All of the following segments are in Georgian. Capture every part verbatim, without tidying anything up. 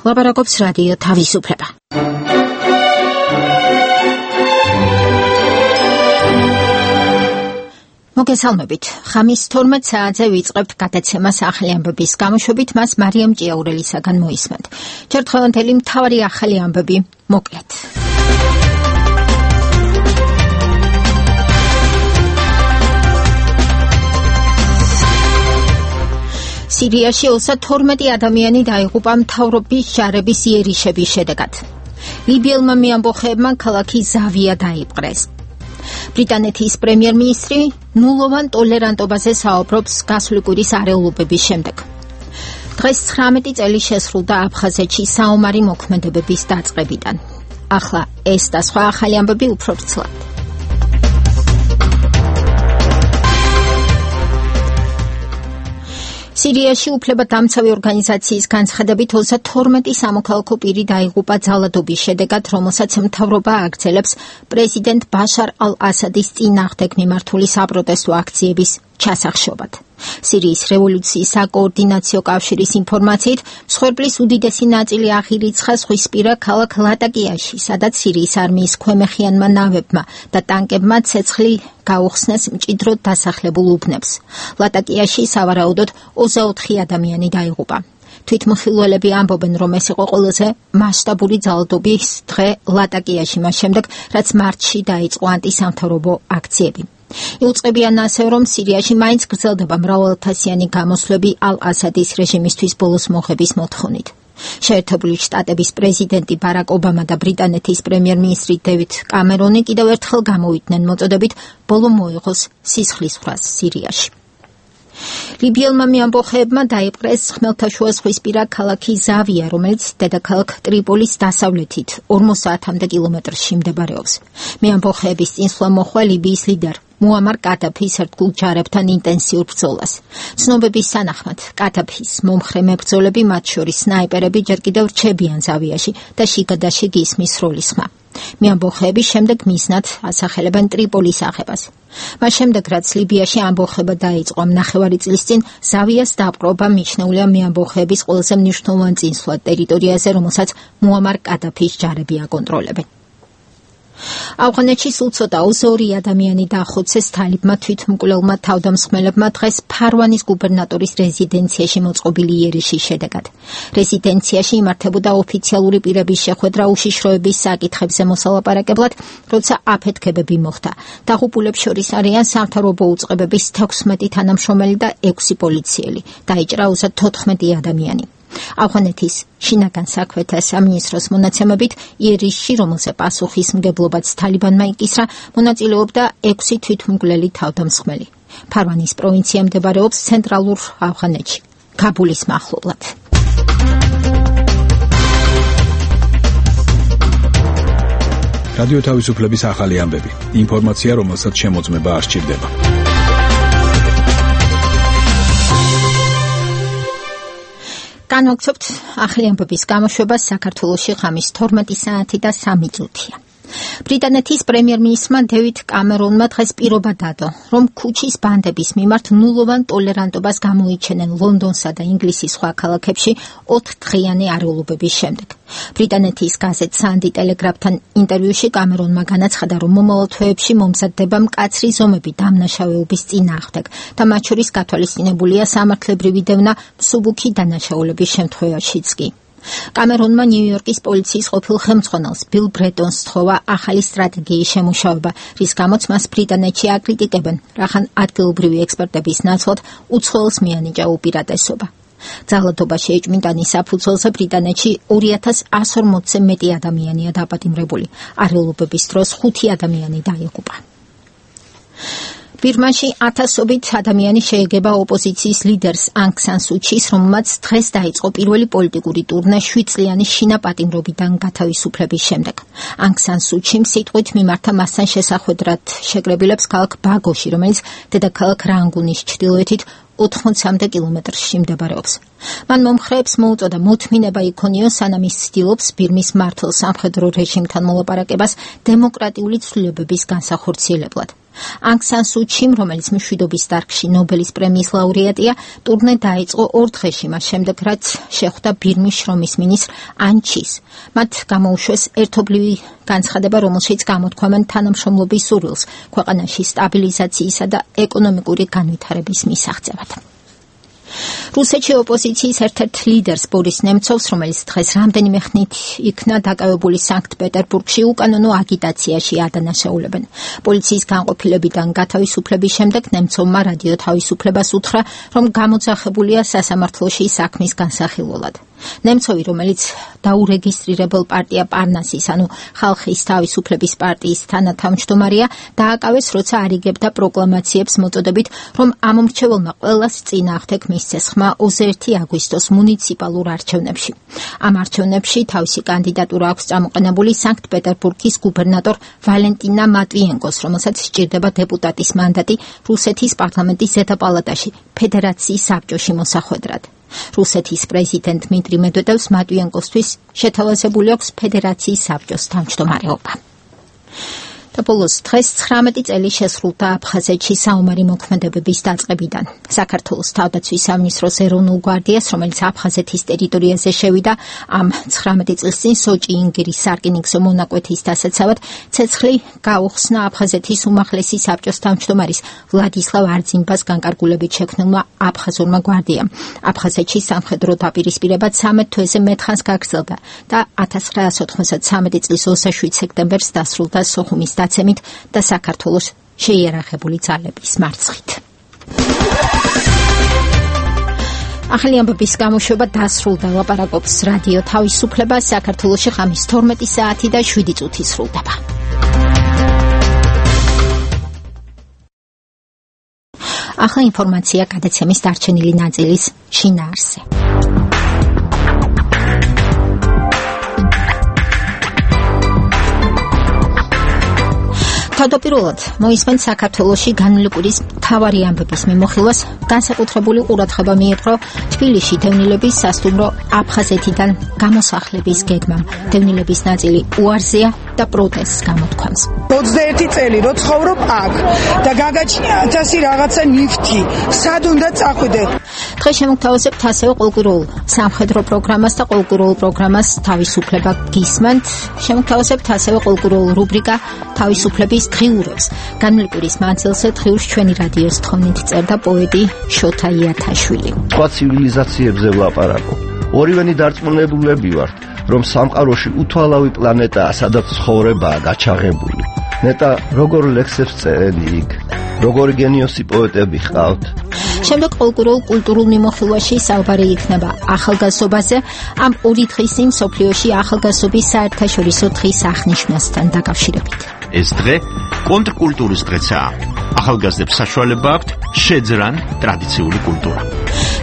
ლაპარაკობს რადიო თავისუფლება. მოგესალმებით. ხამის თორმეტ საათზე ვიწყებთ გადაცემას ახალი ამბების გამოშვებით, მას მარიამ ჭიაურელისაგან მოისმენთ. ჯერ დღევანდელი მთავარი ახალი ამბები მოკლედ. სირიაში ოცდაათი თორმეტი ადამიანი დაიღუპა მთავრობის ჯარების იერიშების შედეგად. ლიბიელმა მეამბოხეებმა ქალაქი ზავია დაიპყრეს. ბრიტანეთის პრემიერ-მინისტრი ნულოვან ტოლერანტობაზე საუბრობს გასული კვირის არეულობების შემდეგ. დღეს ცხრამეტი წელი შესრულდა აფხაზეთში საომარი მოქმედებების დაწყებიდან. ახლა ეს და სხვა ახალი ამბები უფრო ვრცლად. სირიაში უფლებადამცავი ორგანიზაციის განცხადებით ოცდაათი თორმეტი სამოქალაქო პირი დაიღუპა ძალადობის შედეგად, რომელსაც მთავრობა აგრძელებს პრეზიდენტ ბაშარ ალ-ასადის წინააღმდეგ მიმართული საპროტესტო აქციების ჩასახშობად. სირიის რევოლუციის საკოორდინაციო კავშირის ინფორმაციით, მსხვერპლის უდიდესი ნაწილი აღირიცხა ზღვისპირა ქალაქ ლატაკიაში, სადაც სირიის არმიის ქვემეხიანმა ნავებმა და ტანკებმა ცეცხლი გაუხსნეს მჭიდროდ დასახლებულ უბნებს. ლატაკიაში სავარაუდოდ ოცდაოთხი ადამიანი დაიღუპა. თვითმხილველები ამბობენ, რომ ეს იყო ყველაზე მასშტაბური ძალადობის დღე ლატაკიაში მას შემდეგ, რაც მარტში დაიწყო ანტისამთავრობო აქციები. იუწყებიან ასევე, რომ სირიაში მაინც გრძელდება მრავალათასიანი გამოსვლები ალ-ასადის რეჟიმისთვის ბოლოს მოხების მოთხოვნით. შეერთებული შტატების პრეზიდენტი ბარაკ ობამა და ბრიტანეთის პრემიერ-მინისტრი დევიდ კამერონი კიდევ ერთხელ გამოვიდნენ მოწოდებით ბოლო მოიღოს სისხლისღვრას სირიაში. ლიბიელმა მეამბოხეებმა დაიპყრეს ხმელთაშუა ზღვისპირა ქალაქი ზავია, რომელიც დედაქალაქ ტრიპოლის დასავლეთით ორმოცდაათამდე კილომეტრში მდებარეობს. მეამბოხეების წინსვლა მოჰყვა ლიბიის ლიდერ მუამარ კადაფის ერთგულ ჯარებთან ინტენსიურ ბრძოლას. ცნობების თანახმად, კადაფის მომხრე მებრძოლები, მათ შორის სნაიპერები, ჯერ კიდევ რჩებიან ზავიაში და შიგადაშიგ ისმის სროლის ხმა. მეამბოხეები შემდეგ მიზნად ასახელებენ ტრიპოლის აღებას. მას შემდეგ, რაც ლიბიაში ამბოხება დაიწყო ნახევარი წლის წინ, ზავიას დაპყრობა მიჩნეულია მეამბოხეების ყველაზე მნიშვნელოვან წინსვლად ტერიტორიაზე, რომელსაც მუამარ კადაფის ჯარები აკონტროლებენ. ავღანეთში სულ ცოტა ოცდაორი ადამიანი დაახოცეს თალიბმა თვითმკვლელმა თავდამსხმელებმა დღეს ფარვანის გუბერნატორის რეზიდენციაში მოწყობილი იერიშის შედეგად. რეზიდენციაში იმართებოდა ოფიციალური პირების შეხვედრა უშიშროების საკითხებზე მოსალაპარაკებლად, როცა აფეთქებები მოხდა. დაღუპულებს შორის არიან სამთავრობო უწყებების თექვსმეტი თანამშრომელი და ექვსი პოლიციელი. დაიჭრა ოცდაათი თოთხმეტი ადამიანი. ავღანეთის შინაგან საქმეთა სამინისტროს მონაცემებით, იერიშში, რომელზე პასუხისმგებლობაც თალიბანმა იკისრა, მონაწილეობდა ექვსი თვითმკვლელი თავდამსხმელი. ფარვანის პროვინცია მდებარეობს ცენტრალურ ავღანეთში, ქაბულის მახლობლად. რადიო თავისუფლების ახალი ამბები. ინფორმაცია, რომელსაც შემოწმება არ სჭირდება. განვაგრძობთ ახალი ამბების გამოშვებას. საქართველოში ხამის თორმეტი საათი და სამი წუთია. ბრიტანეთის პრემიერ-მინისტრმა დევიდ კამერონმა დღეს პირობა დადო, რომ ქუჩის ბანდების მიმართ ნულოვან ტოლერანტობას გამოიჩენენ ლონდონსა და ინგლისის სხვა ქალაქებში ოთხდღიანი არეულობების შემდეგ. ბრიტანეთის გაზეთ Sunday Telegraph-თან ინტერვიუში კამერონმა განაცხადა, რომ მომავალ თვეებში მომზადდება მკაცრი ზომები დამნაშავეობის წინააღმდეგ და მათ შორის გათვალისწინებულია სამართლებრივი დევნა მსუბუქი დანაშაულების შემთხვევაშიც კი. კამერონმა ნიუ-იორკის პოლიციის ყოფილ ხელმძღვანელს ბილ ბრეტონს სთხოვა ახალი სტრატეგიის შემუშავება, რის გამოც მას ბრიტანეთში აკრიტიკებენ, რახან ადგილობრივი ექსპერტების ნაცვლად უცხოელს მიანიჭა უპირატესობა. ძალადობა შეიჭმინტანის საფუძველზე ბრიტანეთში ორი ათას εκατს ორმოცზე მეტი ადამიანია დაპატიმრებული. არეულობების დროს ხუთი ადამიანი დაიღუპა. ბირმაში ათასობით ადამიანი შეეგება ოპოზიციის ლიდერს ანგ სან სუ ჩის, რომელმაც დღეს დაიწყო პირველი პოლიტიკური ტურნე შვიდ წლიანი შინაპატიმრობიდან გათავისუფლების შემდეგ. ანგ სან სუ ჩიმ სიტყვით მიმართა მასთან შესახვედრად შეკრებილებს ქალაქ ბაგოში, რომელიც დედაქალაქ რანგუნის ჩრდილოეთით ოთხმოცამდე კილომეტრში მდებარეობს. მან მომხრეებს მოუწოდა მოთმინება იქონიოს, სანამ ის ცდილობს ბირმის მართლ სამხედრო რეჟიმთან მოლაპარაკებას დემოკრატიული ცვლილებების განსახორციელებლად. Ანგ სან სუ ჩიმ, რომელიც მშვიდობის დარგში ნობელის პრემიის ლაურეატია, ტურნე დაიწყო ორ დღეში მას შემდეგ, რაც შეხვდა ბირმის შრომის მინისტრ ან ჩის. მათ გამოუშვეს ერთობლივი განცხადება, რომელშიც გამოთქვამენ თანამშრომლობის სურვილს ქვეყანაში სტაბილიზაციისა და ეკონომიკური განვითარების მისაღწევად. რუსეთში ოპოზიციის ერთ-ერთ ლიდერს ბორის ნემცოვს, რომელიც დღეს რამდენიმე ხნით იქნა დაკავებული სანქტ-პეტერბურგში, უკანონო აგიტაციაში ადანაშაულებენ. პოლიციის განყოფილებიდან გათავისუფლების შემდეგ ნემცოვმა რადიო თავისუფლებას უთხრა, რომ გამოძახებულია სასამართლოში საქმის განსახილველად. ნემცოვი, რომელიც დაურეგისტრირებელ პარტია პარნასის, ანუ ხალხის თავისუფლების პარტიის თანათავმჯდომარეა, დააკავეს, როცა არიგებდა პროკლამაციებს მოწოდებით, რომ ამომრჩეველმა ყველას წინააღმდეგ მისცეს ხმა ოცი ერთი აგვისტოს მუნიციპალურ არჩევნებში. ამ არჩევნებში თავისი კანდიდატურა აქვს წამოყენებული სანქტ-პეტერბურგის გუბერნატორ ვალენტინა მატვიენკოს, რომელსაც სჭირდება დეპუტატის მანდატი რუსეთის პარლამენტის ზედაპალატაში, ფედერაციის საბჭოში მოსახვედრად. რუსეთის პრეზიდენტ დმიტრი მედვედევს მატვიენკოსთვის შეთავაზებული აქვს ფედერაციის საბჭოს თავმჯდომარეობა. და ბოლოს დღეს ცხრამეტი წელი შესრულდა აფხაზეთში საომარი მოქმედებების დაწყებიდან. საქართველოს თავდაცვის სამინისტროს ეროვნულ გვარდიას, რომელიც აფხაზეთის ტერიტორიაზე შევიდა, ამ ცხრამეტი წლის წინ სოჭი ინგირის სარკინიგზო მონაკვეთის დასაცავად ცეცხლი გაუხსნა აფხაზეთის უმაღლესი საბჭოს თავმჯდომარის ვლადისლავ არძიმბას განკარგულებით შექმნილმა აფხაზურმა გვარდიამ. აფხაზეთში სამხედრო დაპირისპირება ცამეტ თვეზე მეთხანს გაგრძელდა და ათას ცხრაას ოთხმოცდათსამეტი წლის ოცდაშვიდ სექტემბერს დასრულდა სოხუმის დაცემით და საქართველოს შეიარაღებული ძალების მარცხით. ახალი ამბების გამოშვება დასრულდა. ლაპარაკობს რადიო თავისუფლება. საქართველოში ღამის თორმეტი საათი და შვიდი წუთი სრულდება. ახლა ინფორმაცია გადაცემის დარჩენილი ნაწილის შინაარსზე. თავდაპირველად მოისმენ საქართველოში განვლილი კვირის მთავარი ამბების მიმოხილვას განსაკუთრებული ყურადღება მიეპყრო თბილისში დევნილების სასტუმრო აფხაზეთიდან გამოსახლების გეგმამ. დევნილების ნაწილი უარზეა და პროტესტს გამოთქვამს. ოცდაერთი წელი რო ცხოვრობ აქ და გაგაჩნია ათასი რაღაცა ნიფთი. სად უნდა წახვიდე? დღეს შემოგთავაზებთ ასევე ყოველკვირეულ სამხედრო პროგრამას და ყოველკვირეულ პროგრამას თავისუფლება გისმენთ. შემოგთავაზებთ ასევე ყოველკვირეულ რუბრიკა თავისუფლების დღიურებს. განვლილი კვირის მანძილზე დღიურს ჩვენი რადიოს თხოვნით წერდა პოეტი შოთა იათაშვილი. სხვა ცივილიზაციებზე ვლაპარაკობ. ორივენი დარწმუნებულები ვართ, რომ სამყაროში უთვალავი პლანეტაა, სადაც ცხოვრებაა გაჩაღებული. ნეტა როგორ ლექსებს წერენ იქ, როგორი გენიოსი პოეტები ჰყავთ. შემდეგ ყოველკვირეულ კულტურულ მიმოხილვაში საუბარი იქნება ახალგაზრდობაზე, ამ ორი დღის წინ მსოფლიოში ახალგაზრდობის საერთაშორისო დღის აღნიშვნასთან დაკავშირებით. ეს დღე კონტრკულტურის დღეცაა. ახალგაზრდებს საშუალება აქვთ შეძრან ტრადიციული კულტურა.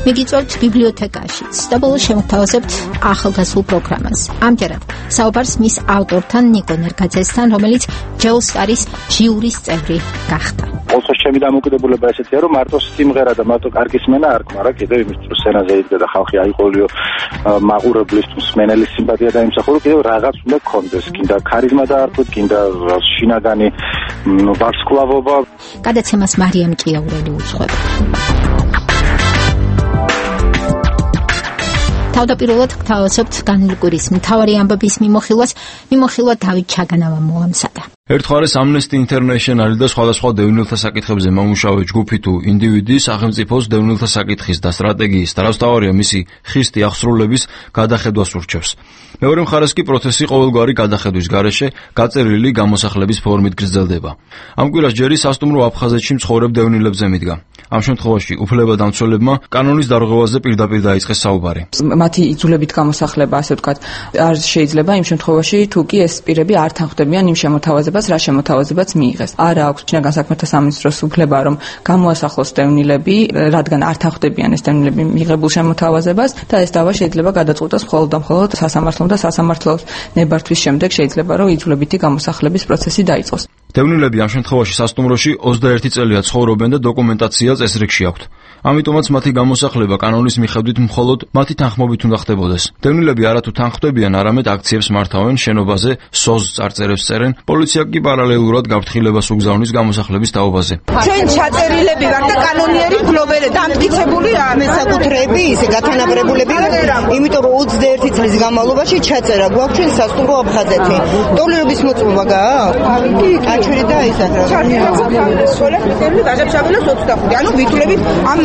მიგიწევთ ბიბლიოთეკაშიც და ბოლოს შემოგთავაზებთ ახალგაზრდულ პროგრამას. ამჯერად საუბარს მის ავტორთან ნიკო ნერგაძესთან, რომელიც ჯეოსტარის ჟიურის წევრი გახდა. ოღონდ ჩემი დამოკიდებულება ესეთია, რომ მარტო სიმღერა და მარტო კარგი სმენა არ გქმა რა, კიდევ იმის თუ სცენაზე იდგა და ხალხი აიყოლიო მაყურებლის თუ მსმენელის სიმპათია დაიმსახურო, კიდევ რაღაც უნდა გქონდეს, კიდე ქარიზმა დაარქვით, კიდე შინაგანი ვარსკვლავობა. გადაცემას მარიამ ჭიაურელი უძღვება. თავდაპირველად გთავაზობთ განვლილი კვირის მთავარი ამბების მიმოხილვას. მიმოხილვა დავით ჩაგანავამ მოამზადა. ერთხარეს Amnesty International და სხვადასხვა დევნილთა საკითხებზე მომუშავე ჯგუფი თუ ინდივიდი სახელმწიფოს დევნილთა საკითხის და სტრატეგიის დარავსთავარია მისი ხისტი აღსრულების გადახედვას ურჩევს. მეორე მხარეს კი პროცესი ყოველგვარი გადახედვის გარეშე გაწერილი გამოსახლების ფორმით გრძელდება. ამ კვირას ჯერი სასტუმრო აფხაზეთში მცხოვრებ დევნილებზე მიდგა. ამ შემთხვევაში უფლებადამცველებმა კანონის დარღვევაზე პირდაპირ დაიწყეს საუბარი. მათი იძულებით გამოსახლება, ასე ვთქვათ, არ შეიძლება იმ შემთხვევაში, თუ კი ეს პირები არ თანხმდებიან იმ შემოთავაზებას, რა შემოთავაზებაც მიიღეს. არა აქვს შინაგან საქმეთა სამინისტროს უფლება, რომ გამოასახლოს დევნილები, რადგან არ თანხმდებიან ეს დევნილები მიღებულ შემოთავაზებას და ეს დავა შეიძლება გადაწყვეტოს მხოლოდ და მხოლოდ სასამართლომ და სასამართლოს ნებართვის შემდეგ შეიძლება, რომ იძულებითი გამოსახლების პროცესი დაიწყოს. დევნილები ამ შემთხვევაში სასტუმროში ოცდაერთი წელია ცხოვრობენ და დოკუმენტაცია წესრიგში აქვთ. ამიტომაც მათი გამოსახლება კანონის მიხედვით მხოლოდ მათი თანხმობით უნდა ხდებოდეს. დევნილები არათუ თანხმდებიან, არამედ აქციებს მართავენ, შენობაზე სოზ წარწერებს წერენ, პოლიცია კი პარალელურად გაფრთხილებას უგზავნის გამოსახლების თაობაზე. ჩვენ ჩაწერილები ვარ და კანონიერი მფლობელი და ამტკიცებული მესაკუთრეები, ისე გათანაბრებულები ვართ, იმიტომ რომ ოცდაერთი წლის განმავლობაში ჩაწერა გვაქვს ჩვენ სასტუმრო აფხაზეთი. დოლერების მოწმობა გააქვს? აჩვენე და ისაა. სოლექტივი გაჟაბშაბელოს ოცდახუთი. ანუ ვითვლებით ამ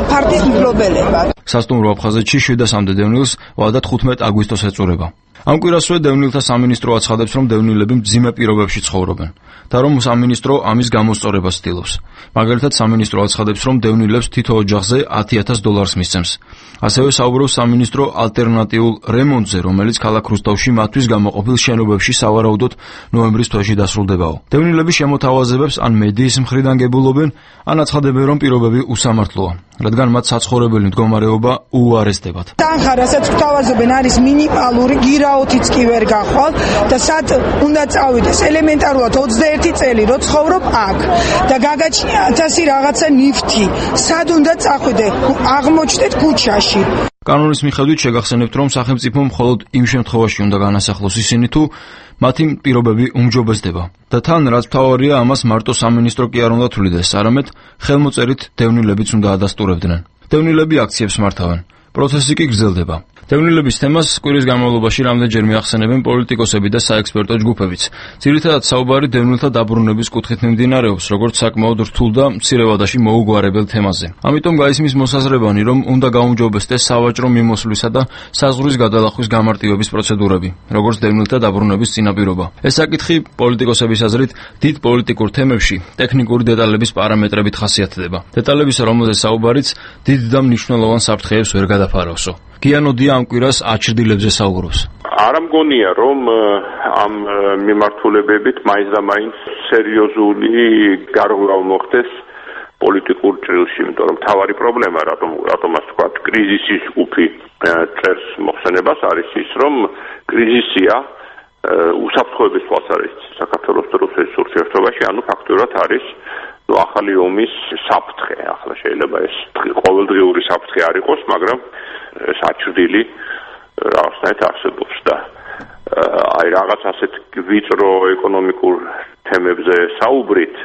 პარტიის მფლობელებად. სასტუმრო აფხაზეთში შვიდასამდე დევნილს ვადათ ხუთმეტ აგვისტოს ეწურება. ამ კვირასვე დევნილთა სამინისტრო აცხადებს, რომ დევნილები მძიმე პირობებში ცხოვრობენ და რომ სამინისტრო ამის გამოსწორებას ცდილობს. მაგალითად, სამინისტრო აცხადებს, რომ დევნილებს თითო ოჯახზე ათი ათას დოლარს მისცემს. ასევე საუბრობს სამინისტრო ალტერნატიულ რემონტზე, რომელიც ქალაქ რუსთავში მათთვის გამოყოფილ შენობებში სავარაუდოდ ნოემბრის თვეში დასრულდებაო. დევნილები შემოთავაზებებს ან მედიის მხრიდან გებულობენ, ან აცხადებენ, რომ პირობები უსამართლოა, რადგან მათ საცხოვრებელი მდგომარეობა უარესდებათ. თანხა, რასაც გვთავაზობენ, არის მინიმალური, გირაოთიც კი ვერ გახვალ და სად უნდა წავიდეს ელემენტარულად ოცდაერთი წელი რო ცხოვრობ აქ და გაგაჩნია ათასი რაღაცა ნიფთი. სად უნდა წახვიდე? აღმოჩნდეთ ქუჩაში. კანონის მიხედვით შეგახსენებთ, რომ სახელმწიფო მხოლოდ იმ შემთხვევაში უნდა განასახლოს ისინი, თუ მათი პირობები უმჯობესდება. და თან რაც მთავარია, ამას მარტო სამინისტრო კი არ უნდა თვლიდეს, არამედ ხელმოწერით დევნილებიც უნდა ადასტურებდნენ. დევნილები აქციებს მართავენ. პროცესი კი გრძელდება. დევნილების თემას კვირის განმავლობაში რამდენჯერ მიახსენებენ პოლიტიკოსები და საექსპერტო ჯგუფებიც. ძირითადად საუბარი დევნილთა დაბრუნების კუთხით მიმდინარეობს, როგორც საკმაოდ რთულ და მცირე ვადაში მოუგვარებელ თემაზე. ამიტომ გაისმის მოსაზრებანი, რომ უნდა გაუმჯობესდეს სავაჭრო მიმოსვლისა და საზღვრის გადალახვის გამარტივების პროცედურები, როგორც დევნილთა დაბრუნების წინაპირობა. ეს საკითხი პოლიტიკოსების აზრით დიდ პოლიტიკურ თემებში ტექნიკური დეტალების პარამეტრებით ხასიათდება. დეტალების, რომელზეც საუბარიც დიდ და მნიშვნელოვან საფრთხეებს ვერ გადაფაროსო. გიანოდია ამ კვირას აჩრდილებზე საუბრობს. არ მგონია, რომ ამ მიმართულებებით მაინც და მაინც სერიოზული გარღვევა მოხდეს პოლიტიკურ ჭრილში, იმიტომ რომ თავარი პრობლემა, რატომ რატომაც თქვა, კრიზისის ჯგუფი წერს მოხსენებას არის ის, რომ კრიზისია უსაფრთხოების თვალსაზრისით საქართველოს და რუსეთის ურთიერთობაში, ანუ ფაქტურად არის ნუ ახალი ომის საფრთხე. ახლა შეიძლება ეს ყოველდღიური საფრთხე არ იყოს, მაგრამ ეს აჩრდილი რაღაცნაირად არსებობს და აი რაღაც ასეთ ვიწრო ეკონომიკურ თემებზე საუბრით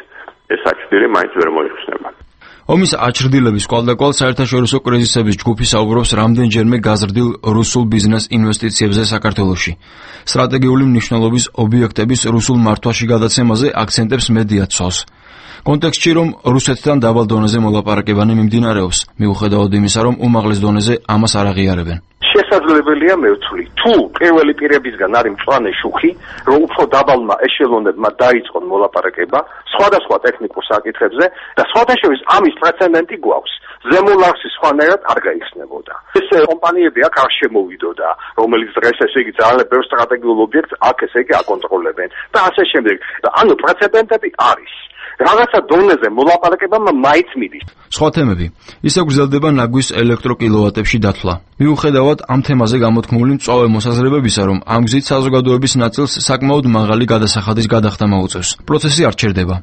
ეს აჩრდილი მაინც ვერ მოიხსნება. ომის აჩრდილების კვალდაკვალ საერთაშორისო კრიზისების ჯგუფი საუბრობს რამდენჯერმე გაზრდილ რუსულ ბიზნეს ინვესტიციებზე საქართველოში. სტრატეგიული მნიშვნელობის ობიექტების რუსულ მართვაში გადაცემაზე აქცენტებს მედია ცვალს. კონტექსტში, რომ რუსეთთან დაბალ დონეზე მოლაპარაკებანი მიმდინარეობს, მიუხედავად იმისა, რომ უმაღლეს დონეზე ამას არ აღიარებენ. შესაძლებელია მე ვთვლი, თუ პირველი პირებისგან არის მწვანე შუხი, რომ უფრო დაბალმა ეშელონებმა დაიწყონ მოლაპარაკება სხვადასხვა ტექნიკურ საკითხებზე და სხვადასხვა ამის პრეცედენტი გვაქვს. ზემოლარსი სხვანაირად არ გაიხსნებოდა. ეს კომპანიები აქ არ შემოვიდოდა, რომელიც დღეს ესე იგი ძალიან ბევრ სტრატეგიულ ობიექტს აქ ესე იგი აკონტროლებენ და ასე შემდეგ. და ანუ პრეცედენტები არის. რაღაცა დონეზე მოლაპარაკებამ მაინც მიდის. სხვა თემები. ისე გრძელდება ნაგვის ელექტროკილოვატებში დათვლა. მიუხედავად ამ თემაზე გამოთქმული მწვავე მოსაზრებებისა, რომ ამ გზით საზოგადოების ნაწილს საკმაოდ მაღალი გადასახადის გადახდა მოუწევს. პროცესი არ ჩერდება.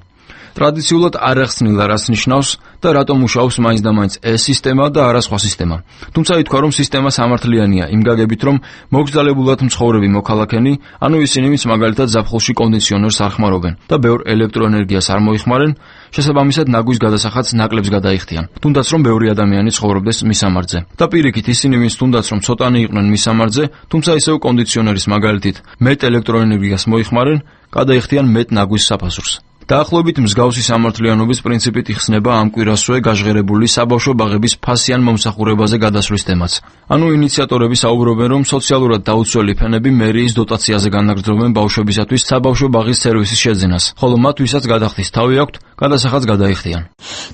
ტრადიციულად არ ახსნილა, რას ნიშნავს და რატომ მუშაობს მაინც და მაინც ეს სისტემა და არა სხვა სისტემა. თუმცა ითქვა, რომ სისტემა სამართლიანია იმ გაგებით, რომ მოგზალებულად მცხოვრები მოქალაქენი, ანუ ისინი, ვინც მაგალითად ზაფხულში კონდიციონერს არ ხმარობენ და ბევრ ელექტროენერგიას არ მოიხმარენ, შესაბამისად ნაგვის გადასახადს ნაკლებს გადაიხდიან, თუნდაც რომ ბევრი ადამიანი ცხოვრობდეს მისამართზე. და პირიქით ისინი, ვინც თუნდაც რომ ცოტანი იყვნენ მისამართზე, თუმცა ისევ კონდიციონერის მაგალითით მეტ ელექტროენერგიას მოიხმარენ, გადაიხდიან მეტ ნაგვის საფასურს. დაახლოებით მსგავსი სამართლიანობის პრინციპით იხსნება ამ კვირასვე გაჟღერებული საბავშვო ბაღების ფასიან მომსახურებაზე გადასვლის თემაც. ანუ ინიციატორები საუბრობენ, რომ სოციალურად დაუცველი ფენები მერიის დოტაციაზე განაგრძობენ ბავშვებისათვის საბავშვო ბაღის სერვისის შეძენას, ხოლო მათ, ვისაც გადახდის თავი აქვთ, გადასახადს გადაიხდიან.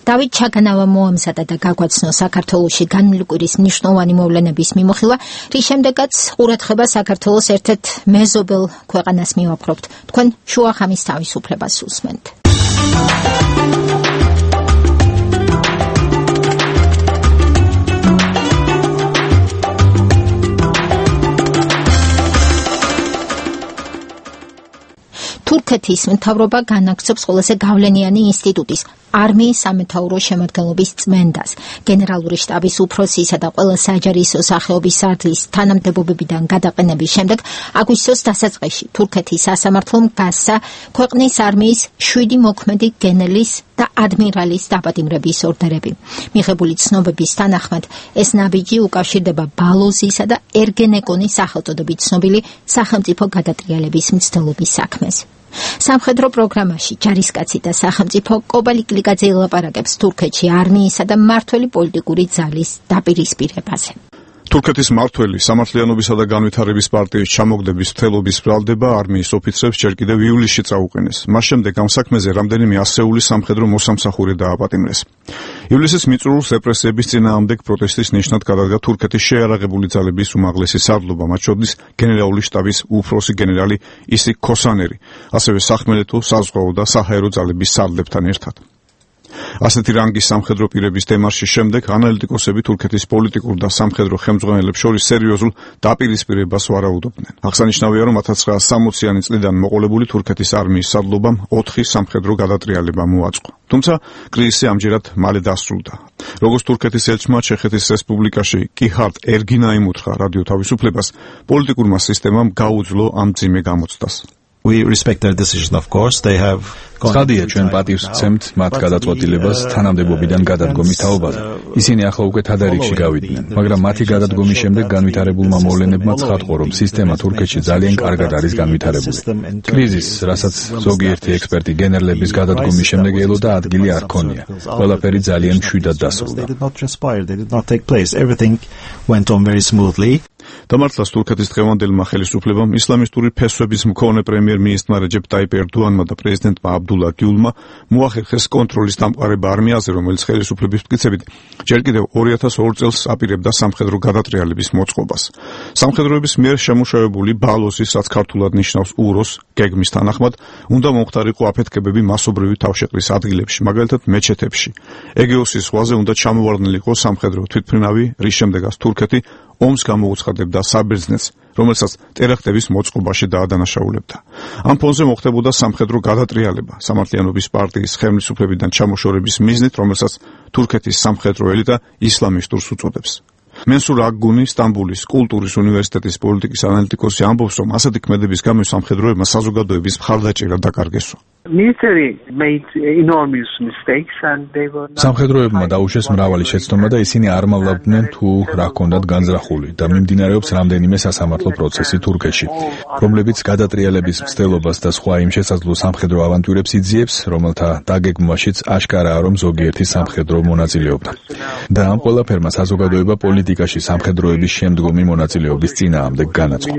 დავით ჩაგანავა მოამზადა და გაგვაცნო საქართველოში განვლილი კვირის მნიშვნელოვანი მოვლენების მიმოხილვა, რის შემდეგაც ყურადღება საქართველოს ერთ-ერთ მეზობელ ქვეყანას მივაპყრობთ. თქვენ შუახამის თავისუფლებას უსმენთ. თურქეთ თურქეთის მთავრობა განაგრძობს ყველაზე გავლენიანი ინსტიტუტის არმიის სამეთაურო შემადგენლობის წმენდას. გენერალური შტაბის უფროსისა და ყველა საჯარისო სახეობის სარდლის თანამდებობებიდან გადაყენების შემდეგ აგვისტოს დასაწყისში თურქეთის სასამართლომ გასცა ქვეყნის არმიის შვიდი მოქმედი გენერლის და ადმირალის დაპატიმრების ორდერები. მიღებული ცნობების თანახმად ეს ნაბიჯი უკავშირდება ბალოზისა და ერგენეკონის სახელწოდებით ცნობილი სახელმწიფო გადატრიალების მცდელობის საქმეს. სამხედრო პროგრამაში ჯარისკაცი და სახელმწიფო კობალი კლიკაძე ელაპარაკებს თურქეთში არმიისა და მმართველი პოლიტიკური ძალის დაპირისპირებაზე. თურქეთის მმართველი სამართლიანობისა და განვითარების პარტიის ჩამოგდების მთელობის ბრალდება არმიის ოფიცრებს ჯერ კიდევ ივლისში წაუყენეს. მას შემდეგ ამ საქმეზე რამდენიმე ასეული სამხედრო მოსამსახური დააპატიმრეს. ივლისის მიწურულს რეპრესიების წინააღმდეგ პროტესტის ნიშნად გადადგა თურქეთის შეიარაღებული ძალების უმაღლესი სარდლობა, მათ შორის გენერალური შტაბის უფროსი გენერალი ისიქ ქოსანერი, ასევე სახმელეთო, საზღვაო და საჰაერო ძალების სარდლებთან ერთად. ასეთი რანგის სამხედრო პირების დემარშის შემდეგ ანალიტიკოსები თურქეთის პოლიტიკურ და სამხედრო ხელმძღვანელებს შორის სერიოზულ დაპირისპირებას ვარაუდობდნენ. აღსანიშნავია, რომ ათას ცხრაასი სამოციანი წლიდან მოყოლებული თურქეთის არმიის სარდლობამ ოთხი სამხედრო გადატრიალება მოაწყო. თუმცა კრიზისი ამჯერად მალე დასრულდა. როგორც თურქეთის ელჩმა ჩეხეთის რესპუბლიკაში კიჰარდ ერგინაიმ უთხრა რადიო თავისუფლებას, პოლიტიკურმა სისტემამ გაუძლო ამ მძიმე გამოცდას. We respect their decision, of course. They have ცხადია, ჩვენ პატივს ვცემთ მათ გადაწყვეტილებას თანამდებობიდან გადადგომის თაობაზე. ისინი ახლა უკვე თადარიგში გავიდნენ, მაგრამ მათი გადადგომის შემდეგ განვითარებულმა მოვლენებმა ცხადყო, რომ სისტემა თურქეთში ძალიან კარგად არის განვითარებული. კრიზისს, რასაც ზოგიერთი ექსპერტი გენერლების გადადგომის შემდეგ ელოდა, ადგილი არ ჰქონია. ყველაფერი ძალიან მშვიდად დასრულდა. დამართლას თურქეთის დღევანდელმა ხელისუფლებამ ისლამისტური ფესვების მქონე პრემიერ-მინისტრმა რეჯეპ ტაიპ ერდოანმა და პრეზიდენტმა აბდულა გიულმა მოახერხეს კონტროლის დამყარება არმიაზე, რომელიც ხელისუფლების მტკიცებით ჯერ კიდევ ორი ათას ორ წელს აპირებდა სამხედრო გადატრიალების მოწყობას. სამხედროების მიერ შემუშავებული ბალოსის, რაც ქართულად ნიშნავს უროს, გეგმის თანახმად უნდა მომხდარიყო აფეთქებები მასობრივი თავშეყრის ადგილებში, მაგალითად მეჩეთებში. ეგეოსის ზღვაზე უნდა ჩამოვარდნილიყო სამხედრო თვითმფრინავი, რის შემდეგაც თურქეთი ომს გამოუცხადებდა საბერძნეთს, რომელსაც ტერაქტების მოწყობაში დაადანაშაულებდა. ამ ფონზე მოხდებოდა სამხედრო გადატრიალება სამართლიანობის პარტიის ხელისუფლებიდან ჩამოშორების მიზნით, რომელსაც თურქეთის სამხედრო ელიტა ისლამისტურს უწოდებს. მენსურ აგგუნი, სტამბოლის კულტურის უნივერსიტეტის პოლიტიკის ანალიტიკოსი ამბობს, რომ ასეთი ქმედების გამო სამხედროებმა საზოგადოების მხარდაჭერა დაკარგესო. სამხედროებმა დაუშვეს მრავალი შეცდომა და ისინი არ მალავდნენ თუ რა ჰქონდათ განზრახული და მიმდინარეობს რამდენიმე სასამართლო პროცესი თურქეთში, რომლებიც გადატრიალების მცდელობას და სხვა იმ შესაძლო სამხედრო ავანტიურებს იძიებს, რომელთა დაგეგმვაშიც აშკარაა, რომ ზოგიერთი სამხედრო მონაწილეობდა. და ამ ყველაფერმა საზოგადოება პოლიტიკაში სამხედროების შემდგომი მონაწილეობის წინააღმდეგ განაწყო.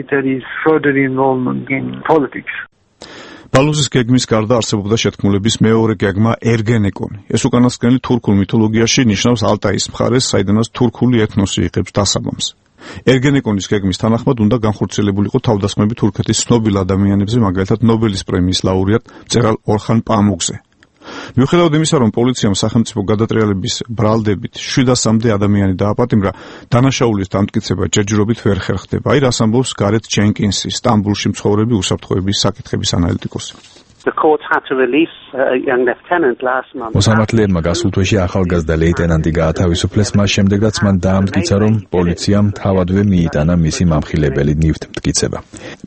ბალოზის გეგმის გარდა არსებობდა შეთქმულების მეორე გეგმა ერგენეკონი. ეს უკანასკნელი თურქულ მითოლოგიაში ნიშნავს ალტაის მხარეს, საიდანაც თურქული ეთნოსი იღებს დასაბამს. ერგენეკონის გეგმის თანახმად უნდა განხორციელებულიყო თავდასხმები თურქეთის ცნობილ ადამიანებზე, მაგალითად ნობელის პრემიის ლაურეატ მწერალ ორხან პამუქზე. მიუხედავად იმისა, რომ პოლიციამ სახელმწიფო გადატრიალების ბრალდებით შვიდასამდე ადამიანი დააპატიმრა, დანაშაულის დამტკიცება ჯერჯერობით ვერ ხერხდება. აი რას ამბობს გარეთ ჯენკინსი, სტამბულში მცხოვრები უსაფრთხოების საკითხების ანალიტიკოსი. მოსამართლეებმა გასულ თვეში ახალგაზრდა ლეიტენანტი გაათავისუფლეს, მას შემდეგაც მან დაამტკიცა, რომ პოლიციამ თავადვე მიიტანა მისი მამხილებელი ნივთი მტკიცება.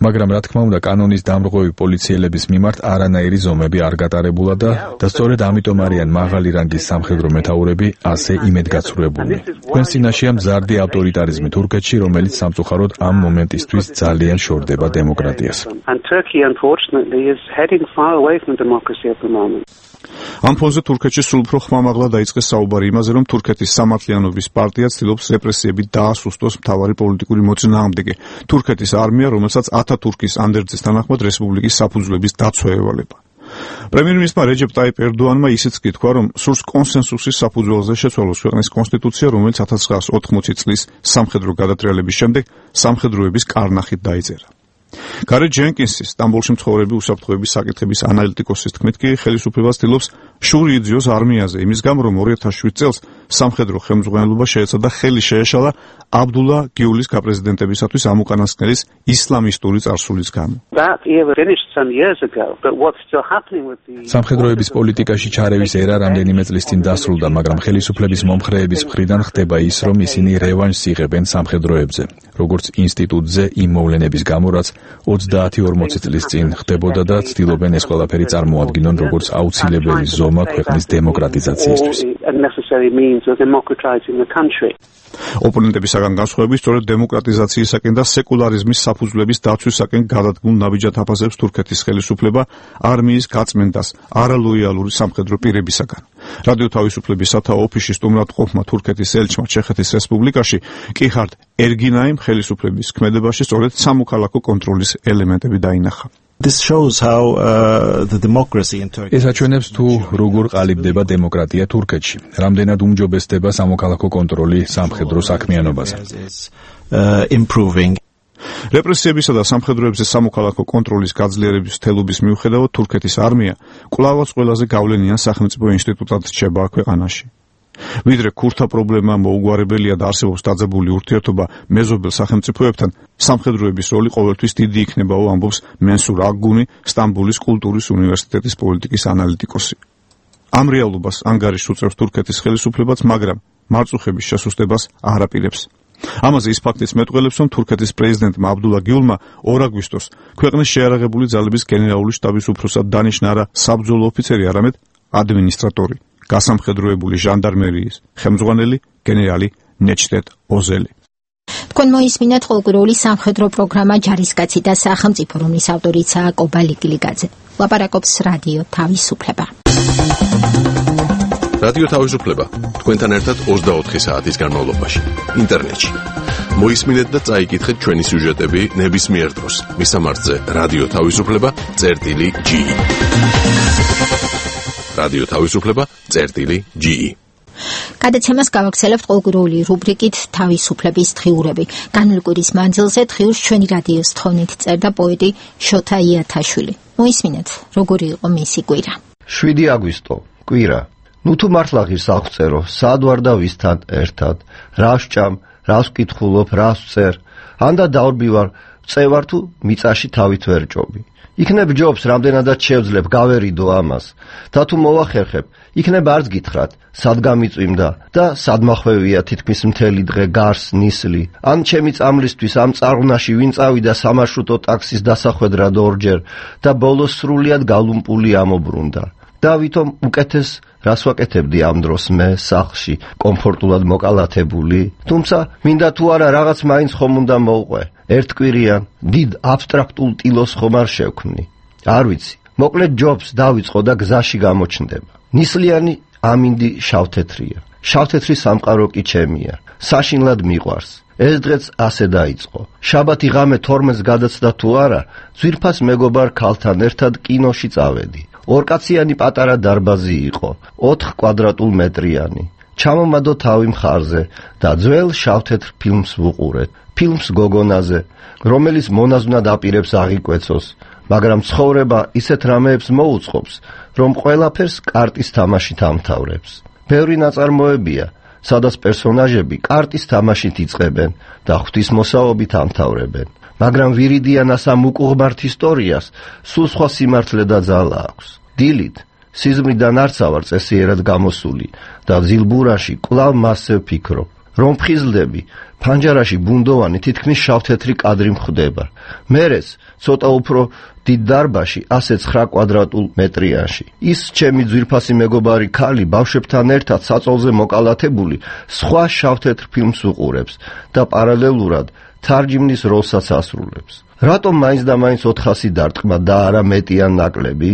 მაგრამ რა თქმა უნდა, კანონის დამრღვევი პოლიციელების მიმართ არანაირი ზომები არ გატარებულა და და სწორედ ამიტომ არიან მაღალი რანგის სამხედრო მეთაურები ასე იმედგაცრუებულნი. თქვენს წინაშეა მზარდი ავტორიტარიზმი თურქეთში, რომელიც სამწუხაროდ ამ მომენტისთვის ძალიან შორდება დემოკრატიას. ამ ფონზე თურქეთში სულ უფრო ხმამაღლა დაიწყეს საუბარი იმაზე, რომ თურქეთის სამართლიანობის პარტია ცდილობს რეპრესიებით დაასუსტოს მთავარი პოლიტიკური მოწინააღმდეგე, თურქეთის არმია, რომელსაც ათათურქის ანდერძის თანახმად რესპუბლიკის საფუძვლების დაცვა ევალება. პრემიერ-მინისტრმა რეჯეპ ტაიპ ერდოანმა ისიც კი თქვა, რომ სურს კონსენსუსის საფუძველზე შეცვალოს ქვეყნის კონსტიტუცია, რომელიც ათას ცხრაასი ოთხმოცი წლის სამხედრო გადატრიალების შემდეგ სამხედროების კარნახით დაიწერა. გარე ჯენკინსის სტამბოლში მცხოვრები უსაფრთხოების საკითხების ანალიტიკოსის თქმით კი ხელისუფლება ცდილობს შური იძიოს არმიაზე იმის გამო რომ ორი ათას შვიდ წელს სამხედრო ხელმძღვანელობა შეეცადა ხელი შეეშალა აბდულა გიულის გაპრეზიდენტებისათვის ამ უკანასკნელის ისლამისტური წარსულის გამო. სამხედროების პოლიტიკაში ჩარევის ერა რამდენიმე წლის წინ დასრულდა, მაგრამ ხელისუფლების მომხრეების მხრიდან ხდება ის, რომ ისინი რევანშს იღებენ სამხედროებზე, როგორც ინსტიტუტზე იმ მოვლენების გამო, რაც ოცდაათი ორმოცი წლის წინ ხდებოდა და ცდილობენ ეს ყველაფერი წარმოადგინონ როგორც აუცილებელი ზომა ქვეყნის დემოკრატიზაციისთვის. ოპონენტებისაგან განსხვავებით, სწორედ დემოკრატიზაციისაკენ და სეკულარიზმის საფუძვლების დაცვისაკენ გადადგმულ ნაბიჯად აფასებს თურქეთის ხელისუფლება არმიის გაწმენდას არალოიალური სამხედრო პირებისაგან. რადიო თავისუფლების სათაო ოფისში სტუმრად ყოფმა თურქეთის ელჩმა ჩეხეთის რესპუბლიკაში კიხარდ ერგინაიმ ხელისუფლების ქმედებაში სწორედ სამოქალაქო კონტროლის ელემენტები დაინახა. This shows how uh, the democracy in Turkey. ეს აჩვენებს თუ როგორ ყალიბდება დემოკრატია თურქეთში, რამდენად უმჯობესდება სამოქალაქო კონტროლი სამხედრო საქმიანობაზე. Uh, improving. რეპრესიებისა და სამხედროებზე სამოქალაქო კონტროლის გაძლიერების თელობის მიუხედავად თურქეთის არმია კვლავაც ყველაზე გავლენიან სახელმწიფო ინსტიტუტად რჩება ქვეყანაში. ვიდრე ქურთა პრობლემა მოუგვარებელია და არსებობს დაძაბული ურთიერთობა მეზობელ სახელმწიფოებთან, სამხედროების როლი ყოველთვის დიდი იქნებაო, ამბობს მენსურ აგგუნი, სტამბოლის კულტურის უნივერსიტეტის პოლიტიკის ანალიტიკოსი. ამ რეალობას ანგარიშს უწევს თურქეთის ხელისუფლებაც, მაგრამ მარწუხების შესუსტებას არ აპირებს. ამაზე ის ფაქტიც მეტყველებს, რომ თურქეთის პრეზიდენტმა აბდულა გიულმა ორ აგვისტოს ქვეყნის შეიარაღებული ძალების გენერალური შტაბის უფროსად დანიშნა არა საბრძოლო ოფიცერი, არამედ ადმინისტრატორი. გასამხედროებული ჟანდარმერიის ხელმძღვანელი გენერალი ნეჩტეტ ოზელი. თქვენ მოისმინეთ ყოველკვირეული სამხედრო პროგრამა ჯარისკაცი და სახელმწიფო, რომლის ავტორიცაა კობალი გილიგაძე. ლაპარაკობს რადიო თავისუფლება. რადიო თავისუფლება თქვენთან ერთად ოცდაოთხი საათის განმავლობაში ინტერნეტში. მოისმინეთ და წაიკითხეთ ჩვენი სიუჟეტები ნებისმიერ დროს მისამართზე რადიო თავისუფლება წერტილი ჯი. რადიო თავისუფლება წერტილი ჯი. გადაცემას გავაგრძელებთ ყოველკვირეული რუბრიკით თავისუფლების დღიურები. განმლკვირის მანძილზე დღიურს ჩვენი რადიოს თხოვნით წერდა პოეტი შოთა იათაშვილი. მოისმინეთ, როგორი იყო მისი კვირა. შვიდი აგვისტო, კვირა. ნუ თუ მართლა ღირს აღწერო, სად ვარ და ვისთან ერთად, რა ვსჭამ, რას ვკითხულობ, რას ვწერ, ანდა დავრბივარ, წევარ თუ მიწაში თავით ვერ ჭობი. იქნებ ჯობს, რამდენადაც შევძლებ, გავერიდო ამას. და თუ მოვახერხებ, იქნებ არც გითხრათ, სად გამიწვიმდა და სად მახვევია თითქმის მთელი დღე გარს ნისლი. ან ჩემი წამლისთვის ამ წარღვნაში ვინ წავიდა სამარშრუტო ტაქსის დასახვედრად ორჯერ და ბოლოს სრულიად გალუმპული ამობრუნდა. და ვითომ უკეთეს რას ვაკეთებდი ამ დროს მე სახლში, კომფორტულად მოკალათებული, თუმცა მინდა თუ არა რაღაც მაინც ხომ უნდა მოვყვე. ერთკვირიან, დიდ აბსტრაქტულ ტილოს ხომ არ შევქმნი. არ ვიცი, მოკლედ ჯობს დავიწყო და გზაში გამოჩნდება. ნისლიანი ამინდი შავთეთრია. შავთეთრი სამყარო კი ჩემია. საშინლად მიყვარს. ეს დღეც ასე დაიწყო. შაბათი ღამე თორმეტს გადაცდა თუ არა, ძვირფას მეგობარ ქალთან ერთად კინოში წავედი. ორკაციანი პატარა დარბაზი იყო, ოთხ კვადრატულ მეტრიანი. ჩამომადო თავი მხარზე და ძველ შავთეთრ ფილმს ვუყურეთ. ფილმს გოგონაზე, რომელიც მონაზვნად აპირებს აღიკვეცოს, მაგრამ ცხოვრება ისეთ რამეებს მოუწყობს, რომ ყველაფერს კარტის თამაშით ამთავრებს. ბევრი ნაწარმოებია, სადაც პერსონაჟები კარტის თამაშით იწყებენ და ღვთისმოსაობით ამთავრებენ. მაგრამ ვირიდიანას ამ უკუღმართ ისტორიას სულ სხვა სიმართლე და ძალა აქვს. დილით სიზმრიდან არც ავარ წესიერად გამოსული და ძილბურაში კვლავ მასზე ვფიქრობ. რომ ფხიზლდები, ფანჯარაში ბუნდოვანი თითქმის შავთეთრი კადრი მხვდება. მერეც ცოტა უფრო დიდ დარბაში, ასე ცხრა კვადრატულ მეტრიანში. ის ჩემი ძვირფასი მეგობარი ქალი ბავშვებთან ერთად საწოლზე მოკალათებული სხვა შავთეთრ ფილმს უყურებს და პარალელურად თარჯიმნის როლსაც ასრულებს. რატომ მაინც და მაინც ოთხასი დარტყმა და არა მეტი ან ნაკლები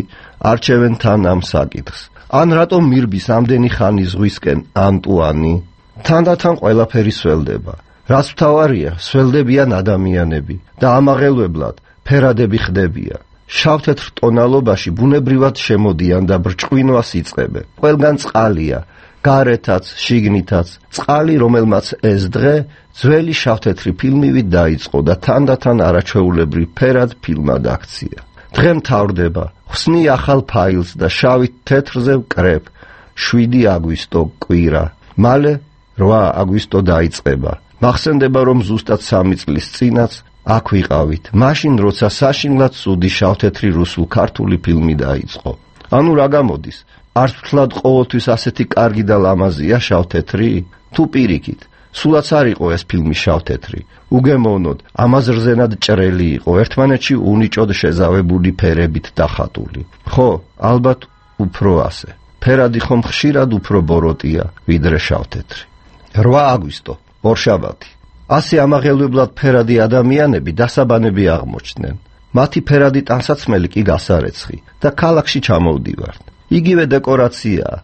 არჩევენ თან ამ საკითხს? ან რატომ მირბის ამდენი ხანი ზღვისკენ ანტუანი? თანდათან ყველაფერი სველდება. რაც მთავარია, სველდებიან ადამიანები და ამაღელვებლად ფერადები ხდებიან. შავთეთრ ტონალობაში ბუნებრივად შემოდიან და ბრჭყვინვას იწყებენ. ყველგან წყალია, გარეთაც, შიგნითაც, წყალი, რომელმაც ეს დღე ძველი შავთეთრი ფილმივით დაიწყო და თანდათან არაჩვეულებრივ ფერად ფილმად აქცია. დღე მთავრდება, ხსნი ახალ ფაილს და შავით თეთრზე ვკრებ, შვიდი აგვისტო კვირა, მალე რვა აგვისტო დაიწყება. მახსენდება, რომ ზუსტად სამი წლის წინაც აქ ვიყავით, მაშინ როცა საშინლად ცუდი შავთეთრი რუსულ-ქართული ფილმი დაიწყო. ანუ რა გამოდის? არც ვთვლად ყოველთვის ასეთი კარგი და ლამაზია შავთეთრი? თუ პირიქით, სულაც არ იყო ეს ფილმი შავთეთრი. უგემოვნოდ, ამას რძენად ჭრელი იყო, ერთმანეთში უნიჭოდ შეზავებული ფერებით დახატული. ხო, ალბათ უფრო ასე. ფერადი ხომ ხშირად უფრო ბოროტია, ვიდრე შავთეთრი. რვა აგვისტო, ორშაბათი. ასე ამაღელვებლად ფერადი ადამიანები დასაბანები აღმოჩნდნენ. მათი ფერადი ტანსაცმელი კი გასარეცხი და ქალაქში ჩამოვდივართ. იგივე დეკორაციაა.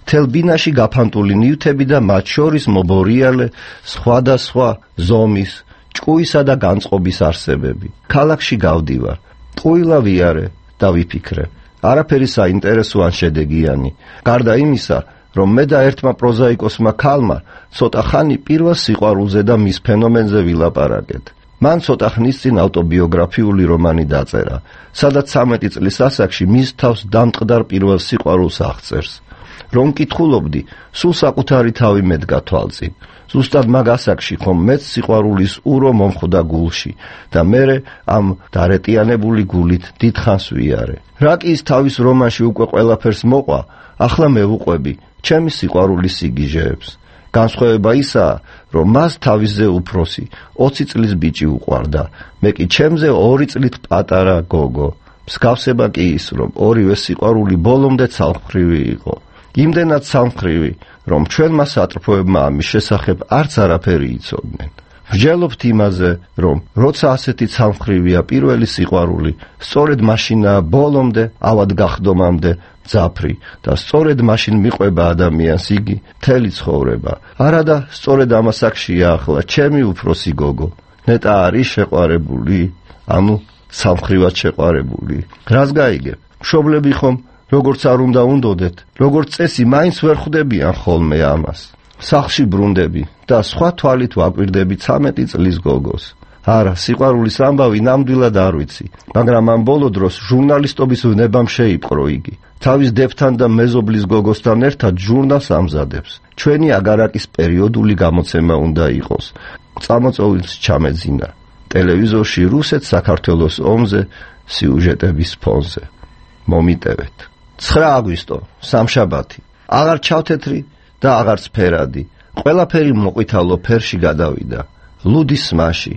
მთელ ბინაში გაფანტული ნივთები და მათ შორის მობორიალე სხვადასხვა ზომის, ჭკუისა და განწყობის არსებები. ქალაქში გავდივარ. ტყუილა ვიარე და ვიფიქრე. არაფერი საინტერესო ან შედეგიანი. გარდა იმისა, რომ მე და ერთმა პროზაიკოსმა ქალმა ცოტა ხანი პირველ სიყვარულზე და მის ფენომენზე ვილაპარაკეთ. მან ცოტა ხნის წინ ავტობიოგრაფიული რომანი დაწერა, სადაც ცამეტი წლის ასაკში მის თავს დამტყდარ პირველ სიყვარულს აღწერს. რომ მკითხულობდი, სულ საკუთარი თავი მედგა თვალწინ. ზუსტად მაგ ასაკში ხომ მეც სიყვარულის ურო მომხვდა გულში და მერე ამ დარეტიანებული გულით დიდხანს ვიარე. რა კი ის თავის რომანში უკვე ყველაფერს მოყვა, ახლა მე ვუყვები ჩემი სიყვარულის სიგიჟეებს. განსხვავება ისაა, რომ მას თავისზე უფროსი, ოცი წლის ბიჭი უყვარდა, მე კი ჩემზე ორი წლით პატარა გოგო. მსგავსება კი ის, რომ ორივე სიყვარული ბოლომდე ცალმხრივი იყო. იმდენად ცალმხრივი, რომ ჩვენმა სატრფოებმა ამის შესახებ არც არაფერი იცოდნენ. ვჯელობთ იმაზე, რომ როცა ასეთი ცალმხრივია პირველი სიყვარული, სწორედ მაშინაა ბოლომდე, ავად გახდომამდე ძაფრი და სწორედ მაშინ მიყვება ადამიანს იგი მთელი ცხოვრება. არადა სწორედ ამ ასაკშია ახლა ჩემი უფროსი გოგო. ნეტა არის შეყვარებული, ანუ ცალმხრივად შეყვარებული. რას გაიგებ? მშობლები ხომ როგორც არ უნდა უნდოდეთ, როგორც წესი მაინც ვერ ხვდებიან ხოლმე ამას. სახლში ბრუნდები და სხვა თვალით ვაკვირდები ცამეტი წლის გოგოს. არა, სიყვარულის ამბავი ნამდვილად არ ვიცი, მაგრამ ამ ბოლო დროს ჟურნალისტობის ვნებამ შეიპყრო იგი. თავის დებთან და მეზობლის გოგოსთან ერთად ჟურნალს ამზადებს. ჩვენი აგარაკის პერიოდული გამოცემა უნდა იყოს. წამოწოვილს ჩამეძინა. ტელევიზორში რუსეთ-საქართველოს ომზე სიუჟეტების ფონზე. მომიტევეთ. ცხრა აგვისტო, სამშაბათი. აღარ ჩავთეთრი და აღარც ფერადი. ყველაფერი მოყვითალო ფერში გადავიდა. ლუდის სმაში.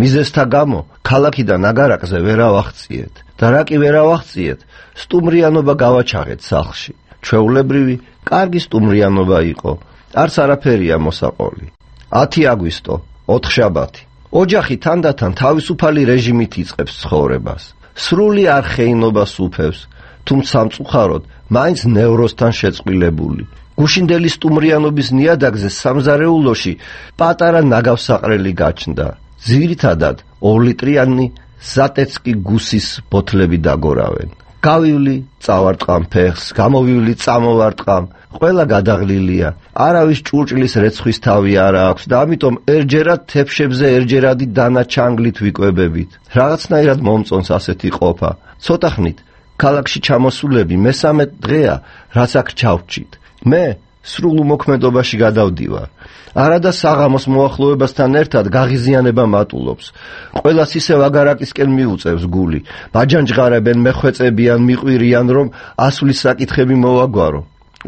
მიზესთა გამო ქალაქიდან აგარაკზე ვერ ავახციეთ და რა კი ვერ ავახციეთ, სტუმრიანობა გავაჩაღეთ სახლში. ჩვეულებრივი, კარგი სტუმრიანობა იყო. არც არაფერია მოსაყოლი. ათი აგვისტო, ოთხშაბათი. ოჯახი თანდათან თავისუფალი რეჟიმით იწყებს ცხოვრებას. სრული არხეინობას უფევს, თუმცა სამწუხაროდ მაინც ნევროსთან შეწყვილებული. გუშინდელი სტუმრიანობის ნიადაგზე სამზარეულოში პატარა ნაგავსაყრელი გაჩნდა. ძირითადად ორლიტრიანი ზატეცკი გუსის ბოთლები დაგორავენ. გავივლი, წავარტყამ ფეხს, გამოვივლი, წამოვარტყამ, ყველა გადაღლილია. არავის ჭურჭლის რეცხვის თავი არა აქვს და ამიტომ ერჯერად თეფშებზე ერჯერადი დანაჩანგლით ვიკვებებით. რაღაცნაირად მომწონს ასეთი ყოფა. ცოტა ხნით ქალაქში ჩამოსულები მესამე დღეა, რაც აქ ჩავჭით. მე სრულ უმოქმედობაში გადავდივარ. არადა საღამოს მოახლოებასთან ერთად გაღიზიანება მატულობს. ყველას ისევ აგარაკისკენ მიუწევს გული. მაჯანჯღარებენ, მეხვეწებიან, მიყვირიან, რომ ასვლის საკითხები მოვაგვარო.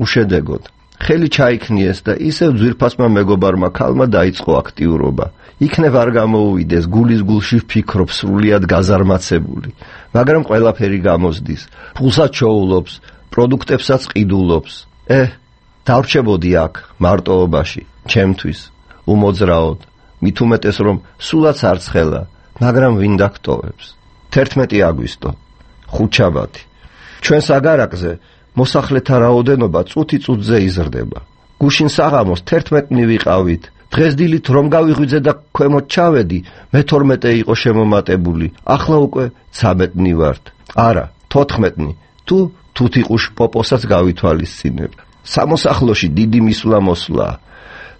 უშედეგოდ. ხელი ჩაიქნიეს და ისევ ძვირფასმა მეგობარმა ქალმა დაიწყო აქტიურობა. იქნებ არ გამოუვიდეს, გულის გულში ვფიქრობ სრულიად გაზარმაცებული. მაგრამ ყველაფერი გამოსდის. ფულსაც ჩოულობს, პროდუქტებსაც ყიდულობს. ე, დავრჩებოდი აქ, მარტოობაში, ჩემთვის, უმოძრაოდ, მით უმეტეს რომ სულაც არ ცხელა, მაგრამ ვინ დაგტოვებს. თერთმეტი აგვისტო, ხუთშაბათი. ჩვენს აგარაკზე მოსახლეთა რაოდენობა წუთი წუთზე იზრდება. გუშინ საღამოს თერთმეტნი ვიყავით. დღეს დილით რომ გავიღვიძე და ქვემოთ ჩავედი, მეთორმეტე იყო შემომატებული. ახლა უკვე ცამეტნი ვართ. არა, თოთხმეტნი. თუ თუთიყუშ პოპოსაც გავითვალისწინებ. სამოსახლოში დიდი მისვლა-მოსვლა.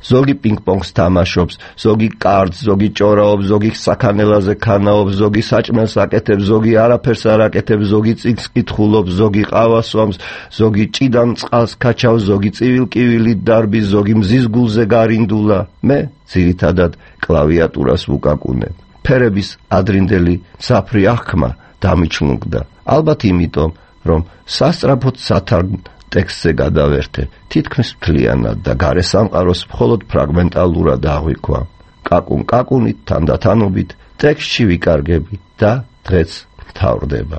ზოგი პინგ-პონგს თამაშობს, ზოგი კარტს, ზოგი ჭორაობს, ზოგი საქანელაზე ქანაობს, ზოგი საჭმელს აკეთებს, ზოგი არაფერს არ აკეთებს, ზოგი წიგნს კითხულობს, ზოგი ყავას სვამს, ზოგი ჭიდან წყალს ქაჩავს, ზოგი წივილ-კივილით დარბის, ზოგი მზის გულზე გარინდულა. მე ძირითადად კლავიატურას ვუკაკუნებ. ფერების ადრინდელი საფრი აღქმა დამიჩლუნგდა. ალბათ იმიტომ, რომ სასწრაფოდ სათარგმ ტექსტზე გადავერთე, თითქმის მთლიანად და გარე სამყაროს მხოლოდ ფრაგმენტალურად აღვიქვა. კაკუნ-კაკუნით, თანდათანობით, ტექსტში ვიკარგები და დღეც მთავრდება.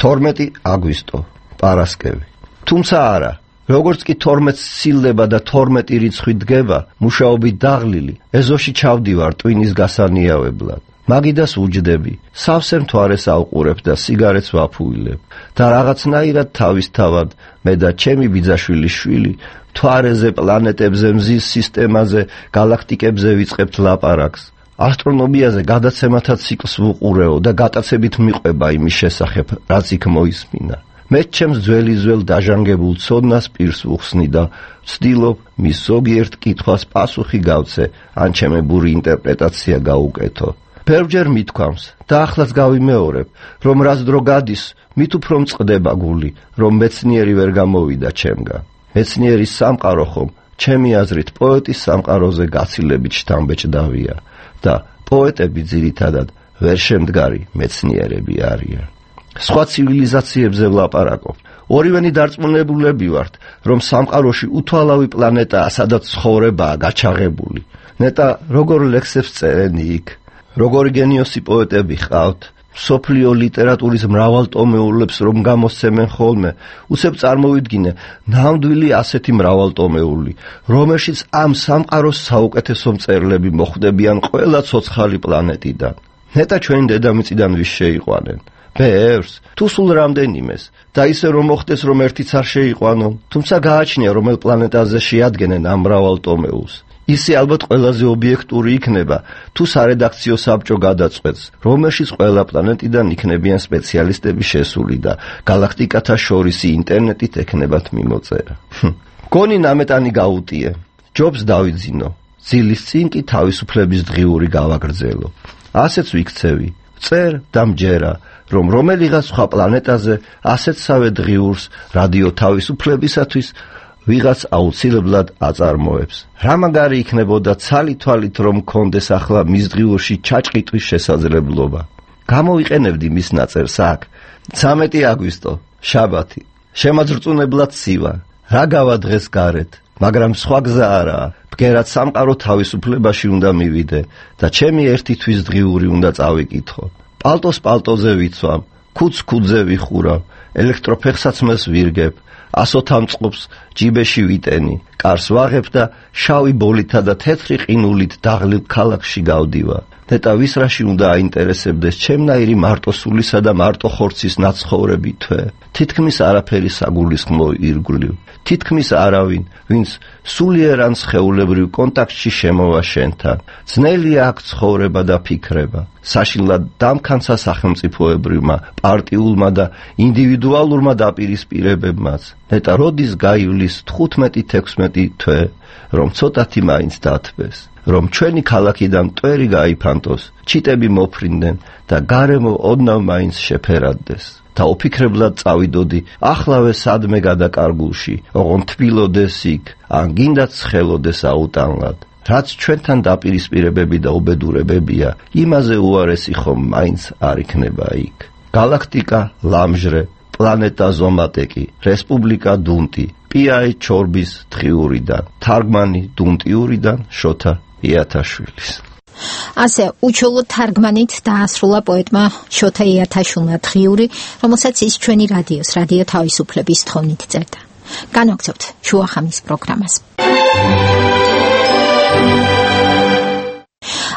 თორმეტი აგვისტო, პარასკევი. თუმცა არა, როგორც კი თორმეტს სცილდება და თორმეტი რიცხვი დგება, მუშაობით დაღლილი, ეზოში ჩავდივარ ტვინის გასანიავებლად. მაგიდას უჯდები, სავსე მთვარეს ავყურებ და სიგარეტს ვაფუილებ და რაღაცნაირად თავისთავად მე და ჩემი ბიძაშვილის შვილი მთვარეზე, პლანეტებზე, მზის სისტემაზე, galaktikებზე ვიწყებთ ლაპარაკს. ასტრონომიაზე გადაცემათა ციკლს ვუყურეო და გატაცებით მიყვება იმის შესახებ, რაც იქ მოისმინა. მე ჩემს ძველი ძველ დაჟანგებულ ცოდნას პირს ვუხსნი და ვცდილობ მის ზოგიერთ კითხვას პასუხი გავცე, ან ჩემებური ინტერპრეტაცია გაუკეთო. Pervjer mitkwams და ახლაც გავიმეორებ, რომ რაც დრო გადის, მით უფრო მწყდება გული, რომ მეცნიერი ვერ გამოვიდა ჩემგან. მეცნიერის სამყარო ხომ, ჩემი აზრით, პოეტის სამყაროზე გაცილებით შთამბეჭდავია და პოეტები ძირითადად ვერ შემდგარი მეცნიერები არიან. სხვა ცივილიზაციებზე ვლაპარაკობ. ორივენი დარწმუნებულები ვართ, რომ სამყაროში უთვალავი პლანეტაა, სადაც ცხოვრებაა გაჩაღებული. ნეტა როგორ ლექსებს წერენი იქ? როგორი გენიოსი პოეტები ხავთ, სოფლიო ლიტერატურის მრავალტომეულებს რომ გამოსცემენ ხოლმე, უცებ წარმოვიდგინე ნამდვილი ასეთი მრავალტომეული, რომელშიც ამ სამყაროს საუკეთესო მწერლები მოხვდებიან ყველა ცოცხალი პლანეტიდან. ნეტა ჩვენი დედამიწიდან ვის შეიყვანენ? ბევრს, თუ სულ რამდენიმეს, და ისე რომ მოხდეს რომ ერთიც არ შეიყვანონ, თუმცა გააჩნია რომელ პლანეტაზე შეადგენენ ამ მრავალტომეულს. ისე ალბათ ყველაზე ობიექტური იქნება, თუ სარედაქციო საბჭო გადაწყვეტს, რომელშიც ყველა პლანეტიდან იქნებიან სპეციალისტები შესული და galaktikata შორისი ინტერნეტით ექნებათ მიმოწერა. გონი ნამეტანი გაუტიე, ჯობს დავიძინო, ძილის წინ კი თავისუფლების დღიური გავაგრძელო. ასეც ვიქცევი, წერ და მჯერა, რომ რომელიღაც სხვა პლანეტაზე ასეთსავე დღიურს რადიო თავისუფლებისათვის ვიღაც აუცილებლად აწარმოებს. რა მაგარი იქნებოდა ცალი-თვალით რომ მქონდეს ახლა მის დღიურში ჩაჭყიტვის შესაძლებლობა. გამოვიყენებდი მის ნაწერს აქ. ცამეტი აგვისტო, შაბათი. შემაძრწუნებლად ცივა. რა გავა დღეს გარეთ, მაგრამ სხვა გზა არაა. ბგერად სამყარო თავისუფლებაში უნდა მივიდე და ჩემი ერთი თვის დღიური უნდა წავიკითხო. პალტოს პალტოზე ვიცვამ, ქუდს ქუდზე ვიხურავ, ელექტროფეხსაცმელს ვირგებ. ასოთა მწყობს ჯიბეში ვიტენი, კარს ვაღებ და შავი ბოლითა და თეთრი ყინულით დაღლილ ქალაქში გავდივარ. ნეტა ვისრაში უნდა აინტერესებდეს ჩემნაირი მარტოსულისა და მარტოხორცის ნაცხოვრები თვე. თითქმის არაფერი საგულისხმო ირგვლივ. თითქმის არავინ, ვინც სულიერ ან სხეულებრივ კონტაქტში შემოვა შენთან. ძნელია აქ ცხოვრება და ფიქრება. საშინლად დამქანცა სახელმწიფოებრივმა, პარტიულმა და ინდივიდუალურმა დაპირისპირებებმაც. ნეტა როდის გაივლის თხუთმეტი თექვსმეტი თვე, რომ ცოტათი მაინც დათბეს. რომ ჩვენი ქალაქიდან მტვერი გაიფანტოს, ჩიტები მოფრინდნენ და გარემო ოდნავ მაინც შეფერადდეს. და ოფიქრებლად წავიდოდი ახლავე სადმე გადაკარგულში, ოღონ თბილოდეს იქ, ან გინდაც ხელოდეს აუტანლად. რაც ჩვენთან დაპირისპირებები და უბედურებებია, იმაზე უარესი ხომ მაინც არ იქნება იქ. galaktika ლამჟრე, პლანეტა ზომატეკი, რესპუბლიკა დუნტი, პიაი ჩორბის დღიურიდან, თარგმანი დუნტიურიდან შოთა იათაშვილის. ასე უჩვეულო თარგმანით დაასრულა პოეტმა შოთა იათაშვილმა დღიური, რომელსაც ის ჩვენი რადიოს, რადიო თავისუფლების თხოვნით წერდა. განვაგრძობთ შუახამის პროგრამას.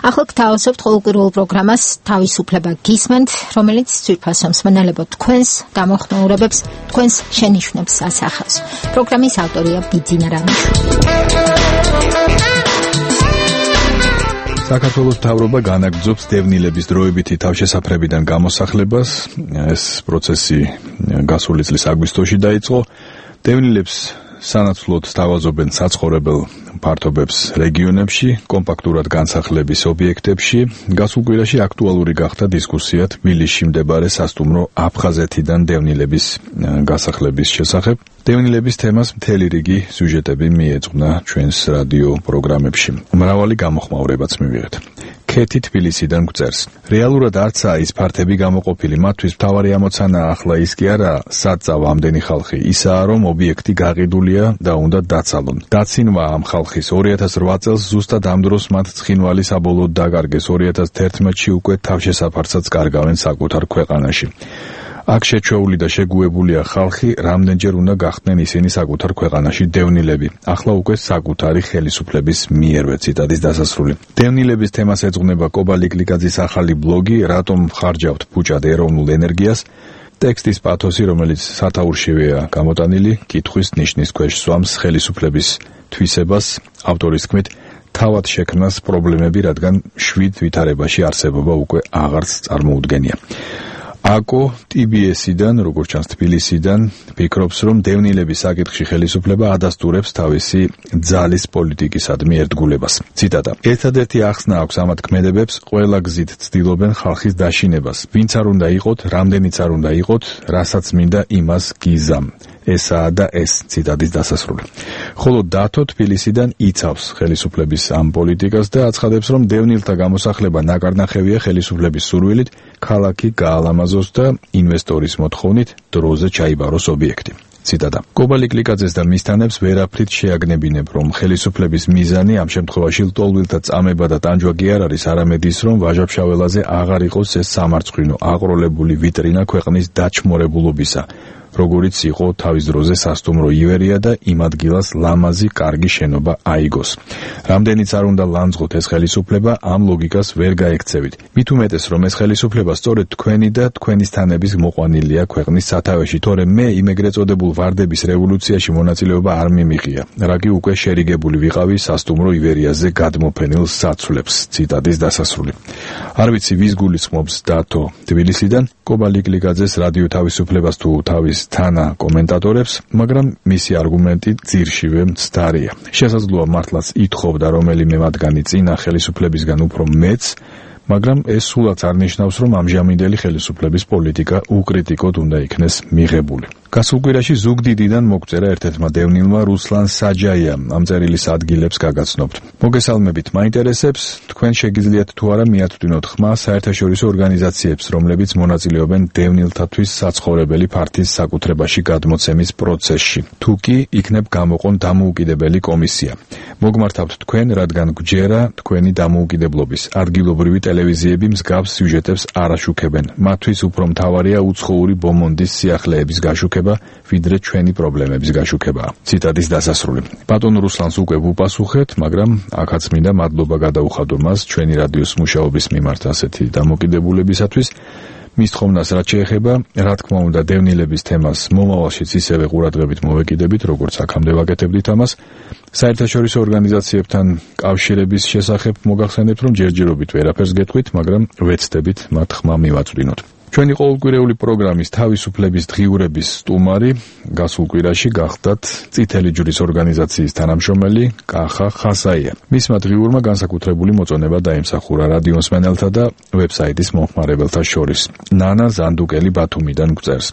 ახლა გთავაზობთ ყოველკვირეულ პროგრამას თავისუფლება გისმენთ, რომელიც ძვირფასო მსმენელებო თქვენს გამოხმაურებებს, თქვენს შენიშვნებს ასახავს. პროგრამის ავტორია ბიძინა რამიშვილი. საქართველოს მთავრობა განაგრძობს დევნილების დროებითი თავშესაფრებიდან გამოსახლებას. ეს პროცესი გასული წლის აგვისტოში დაიწყო. დევნილებს სანაცვლოდ სთავაზობენ საცხოვრებელ ფართობებს რეგიონებში, კომპაქტურად განსახლების ობიექტებში. გასულ კვირაში აქტუალური გახდა დისკუსია თბილისში მდებარე სასტუმრო აფხაზეთიდან დევნილების გასახლების შესახებ. დევნილების თემას მთელი რიგი სიუჟეტები მიეძღვნა ჩვენს რადიო პროგრამებში. მრავალი გამოხმაურებაც მივიღეთ. ქეთი თბილისიდან გვწერს. რეალურად არცაა ის ფართები გამოყოფილი, მათთვის მთავარი ამოცანა ახლა ის კი არა, სად წავა ამდენი ხალხი, ისაა რომ ობიექტი გაყიდულია და უნდა დაცალონ. დაცინვა ამ ხალხის ორი ათას რვა წელს ზუსტად ამ დროს მათ ცხინვალი საბოლოოდ დაკარგეს, ორი ათას თერთმეტში უკვე თავშესაფარსაც კარგავენ საკუთარ ქვეყანაში. აქ შეჩვეული და შეგუებულია ხალხი, რამდენჯერ უნდა გახდნენ ისინი საკუთარ ქვეყანაში დევნილები. ახლა უკვე საკუთარი ხელისუფლების მიერვე. ციტატის დასასრული. დევნილების თემას ეძღვნება კობა ლიკლიკაძის ახალი ბლოგი რატომ ხარჯავთ ფუჭად ეროვნულ ენერგიას. ტექსტის პათოსი, რომელიც სათაურშივეა გამოტანილი, კითხვის ნიშნის ქვეშ სვამს ხელისუფლების თვისებას, ავტორის თქმით, თავად შექმნას პრობლემები, რადგან შვიდ ვითარებაში არსებობა უკვე აღარც წარმოუდგენია. აკო ტი ბი ესიდან, როგორც ჩანს თბილისიდან, ფიქრობს, რომ დევნილების საკითხში ხელისუფლება ადასტურებს თავისი ძალის პოლიტიკისადმი ერთგულებას. ციტატა. ერთადერთი ახსნა აქვს ამათ ქმედებებს, ყველა გზით ცდილობენ ხალხის დაშინებას. ვინც არ უნდა იყოთ, რამდენიც არ უნდა იყოთ, რასაც მინდა იმას გიზამ. ესაა და ეს. ციტატის დასასრული. ხოლო დათო თბილისიდან იცავს ხელისუფლების ამ პოლიტიკას და აცხადებს, რომ დევნილთა გამოსახლება ნაკარნახევია ხელისუფლების სურვილით, ქალაქი გაალამაზოს და ინვესტორის მოთხოვნით დროზე ჩაიბაროს ობიექტი. ციტატა. კობა ლიკლიკაძეს და მისთანებს ვერაფრით შეაგნებინებ, რომ ხელისუფლების მიზანი ამ შემთხვევაში ლტოლვილთა წამება და ტანჯვა კი არ არის, არამედ ის, რომ ვაჟა-ფშაველაძე აღარ იყოს ეს სამარცხვინო, აყროლებული ვიტრინა ქვეყნის დაჩმორებულობისა, როგორიც იყო თავის დროზე სასტუმრო ივერია და იმ ადგილას ლამაზი კარგი შენობა აიგოს. რამდენიც არ უნდა ლანძღოთ ეს ხელისუფლება, ამ ლოგიკას ვერ გაექცევით. მით უმეტეს, რომ ეს ხელისუფლება სწორედ თქვენი და თქვენის თანების მოყვანილია ქვეყნის სათავეში, თორემ მე იმ ეგრეთ წოდებულ ვარდების რევოლუციაში მონაწილეობა არ მიმიღია, რაგი უკვე შერიგებული ვიყავი სასტუმრო ივერიაზე გადმოფენილ საცვლებს. ციტატის დასასრული. არ ვიცი ვის გულისხმობს დათო თბილისიდან, კობა ლიკლიკაძეს რადიო თავისუფლებას თუ თავის თანა კომენტატორებს, მაგრამ მისი არგუმენტი ძირშივე მცდარია. შესაძლოა მართლაც ითხოვდა რომელიმე მათგანი წინა ხელისუფლებისგან უფრო მეც, მაგრამ ეს სულაც არ ნიშნავს, რომ ამჟამინდელი ხელისუფლების პოლიტიკა უკრიტიკოდ უნდა იქნეს მიღებული. გასულ კვირაში ზუგდიდიდან მოგწერა ერთ-ერთმა დევნილმა რუსლან საჯაიამ ამ წერილის ადგილებს გაგაცნობთ. მოგესალმებით, მაინტერესებს, თქვენ შეგიძლიათ თუ არა მიაწვდინოთ ხმა საერთაშორისო ორგანიზაციებს, რომლებიც მონაწილეობენ დევნილთათვის საცხოვრებელი ფართის საკუთრებაში გადმოცემის პროცესში. თუ კი იქნებ გამოყონ დამოუკიდებელი კომისია. მოგმართავთ თქვენ, რადგან გვჯერა თქვენი დამოუკიდებლობის. ადგილობრივი ტელევიზიები მსგავს სიუჟეტებს არ აშუქებენ. მათთვის უფრო მთავარია უცხოური ბომონდის სიახლეების გაშუქება, ვიდრე ჩვენი პრობლემების გაშუქება. ციტატის დასასრული. ბატონ რუსლანს უკვე ვუპასუხეთ, მაგრამ აქაც მინდა მადლობა გადაუხადო მას ჩვენი რადიოს მუშაობის მიმართ ასეთი დამოკიდებულებისათვის. მის თხოვნას რაც შეეხება, რა თქმა უნდა, დევნილების თემას მომავალშიც ისევე ყურადღებით მოვეკიდებით, როგორც აქამდე ვაკეთებდით ამას. საერთაშორისო ორგანიზაციებთან კავშირების შესახებ მოგახსენებთ, რომ ჯერჯერობით ვერაფერს გეტყვით, მაგრამ ვეცდებით მათ ხმა მივაწვდინოთ. ჩვენი ყოველკვირეული პროგრამის თავისუფლების დღიურების სტუმარი გასულ კვირაში გახდათ წითელი ჯვრის ორგანიზაციის თანამშრომელი კახა ხასაია. მისმა დღიურმა განსაკუთრებული მოწონება დაიმსახურა რადიო მსმენელთა და ვებსაიტის მომხმარებელთა შორის. ნანა ზანდუკელი ბათუმიდან გვწერს.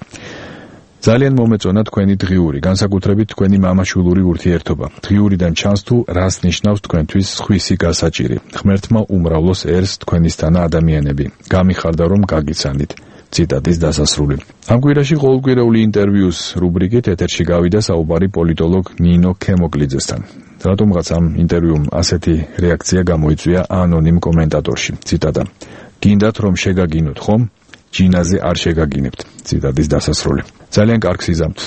ძალიან მომეწონა თქვენი დღიური, განსაკუთრებით თქვენი მამაშვილური ურთიერთობა. დღიურიდან ჩანს თუ რას ნიშნავს თქვენთვის სხვისი გასაჭირი. ღმერთმა უმრავლოს ერს თქვენისთანა ადამიანები. გამიხარდა რომ გაგიცანით. ციტატის დასასრული. ამ კვირაში ყოველკვირეული ინტერვიუს რუბრიკით ეთერში გავიდა საუბარი პოლიტოლოგ ნინო ქემოკლიძესთან. რატომღაც ამ ინტერვიუმ ასეთი რეაქცია გამოიწვია ანონიმ კომენტატორში. ციტატა. გინდათ რომ შეგაგინოთ, ხომ? ჯინაზე არ შეგაგინებთ. ციტატის დასასრული. ძალიან კარგ სიზამთ.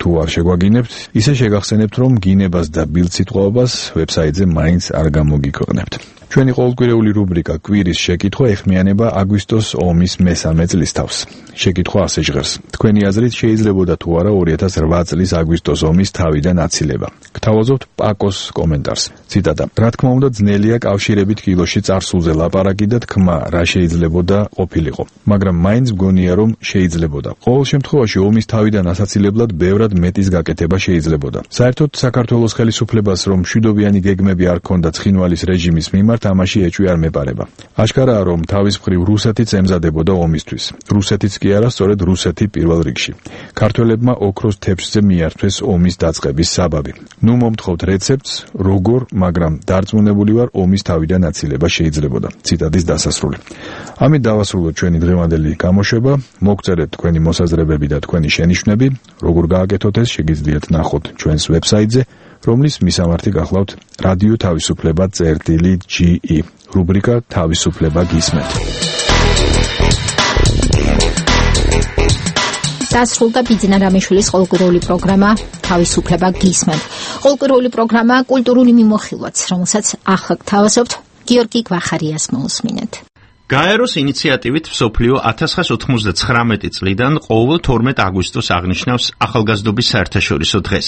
თუ არ შეგვაგინებთ, ისე შეგახსენებთ, რომ გინებას და ბილდსიტყვაობას ვებსაიტზე მაინც არ გამოგიქვეყნებთ. ჩვენი ყოველკვირეული რუბრიკა კვირის შეკითხვა ეხმიანება აგვისტოს ომის მესამე წლისთავს. შეკითხვა ასე ჟღერს. თქვენი აზრით შეიძლებოდა თუ არა ორი ათას რვა წლის აგვისტოს ომის თავიდან აცილება. გთავაზობთ პაკოს კომენტარს. ციტატა. რა თქმა უნდა, ძნელია კავშირებით კილოში წარსულზე ლაპარაკი და თქმა, რა შეიძლებოდა ყოფილიყო. მაგრამ მაინც მგონია, რომ შეიძლებოდა. ყოველ შემთხვევაში ომის თავიდან ასაცილებლად ბევრად მეტად მეტის გაკეთება შეიძლებოდა. საერთოდ საქართველოს ხელისუფლებას რომ მშვიდობიანი გეგმები არ ქონდა ცხინვალის რეჟიმის მიმართ, ამაში ეჭვი არ მეპარება. აშკარაა, რომ თავის მხრივ რუსეთიც ემზადებოდა ომისთვის. რუსეთიც კი არა, სწორედ რუსეთი პირველ რიგში. ქართველებმა ოქროს თეფშზე მიართვეს ომის დაწყების საბაბი. ნუ მომთხოვთ რეცეპტს, როგორ, მაგრამ დარწმუნებული ვარ, ომის თავიდან აცილება შეიძლებოდა. ციტატის დასასრული. ამით დავასრულოთ ჩვენი დღევანდელი გამოშვება. მოგწერეთ თქვენი მოსაზრებები და თქვენი შენიშვნები, როგორ გააკეთოთ ეს, შეგიძლიათ ნახოთ ჩვენს ვებსაიტზე, რომლის მისამართი გახლავთ რადიო თავისუფლება წერტილი ჯი ი, რუბრიკა თავისუფლება გისმენთ. დასრულდა ბიძინა რამიშვილის ყოლკურული პროგრამა თავისუფლება გისმენთ. ყოლკურული პროგრამა კულტურული მიმოხილვაც, რომელსაც ახლა გთავაზობთ, გიორგი გვახარიას მოусმინეთ. გაეროს ინიციატივით მსოფლიო ათას ცხრაასი ოთხმოცდათხრამეტი წლიდან ყოველ თორმეტ აგვისტოს აღნიშნავს ახალგაზრდობის საერთაშორისო დღეს.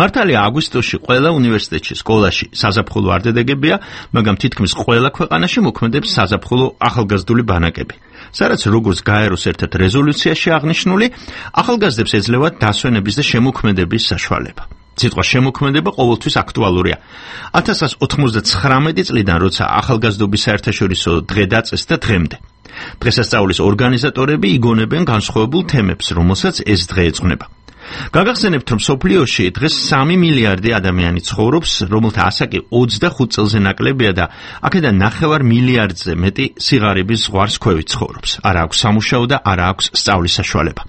მართალია აგვისტოში ყველა უნივერსიტეტში, სკოლაში საზაფხულო არ დადებია, მაგრამ თითქმის ყველა ქვეყანაში მოქმედებს საზაფხულო ახალგაზრდული ბანაკები. სადაც როგორც გაეროს ერთ-ერთ რეზოლუციაში აღნიშნული, ახალგაზრდებს ეძლევათ დასვენების და შემოქმედების საშუალება. სიტყვა შემოქმედება ყოველთვის აქტუალურია. ათას ცხრაასი ოთხმოცდათხრამეტი წლიდან, როცა ახალგაზრდობის საერთაშორისო დღე დაწესდა დღემდე. დღესასწაულის ორგანიზატორები იგონებენ განსხვავებულ თემებს, რომელსაც ეს დღე ეძღვნება. გაგახსენებთ, რომ მსოფლიოში დღეს სამი მილიარდი ადამიანი ცხოვრობს, რომელთა ასაკი ოცდახუთ წელზე ნაკლებია და აქედან ნახევარ მილიარდზე მეტი სიღარიბის ზღვარს ქვევით ცხოვრობს. არა აქვს სამუშაო და არა აქვს სწავლის საშუალება.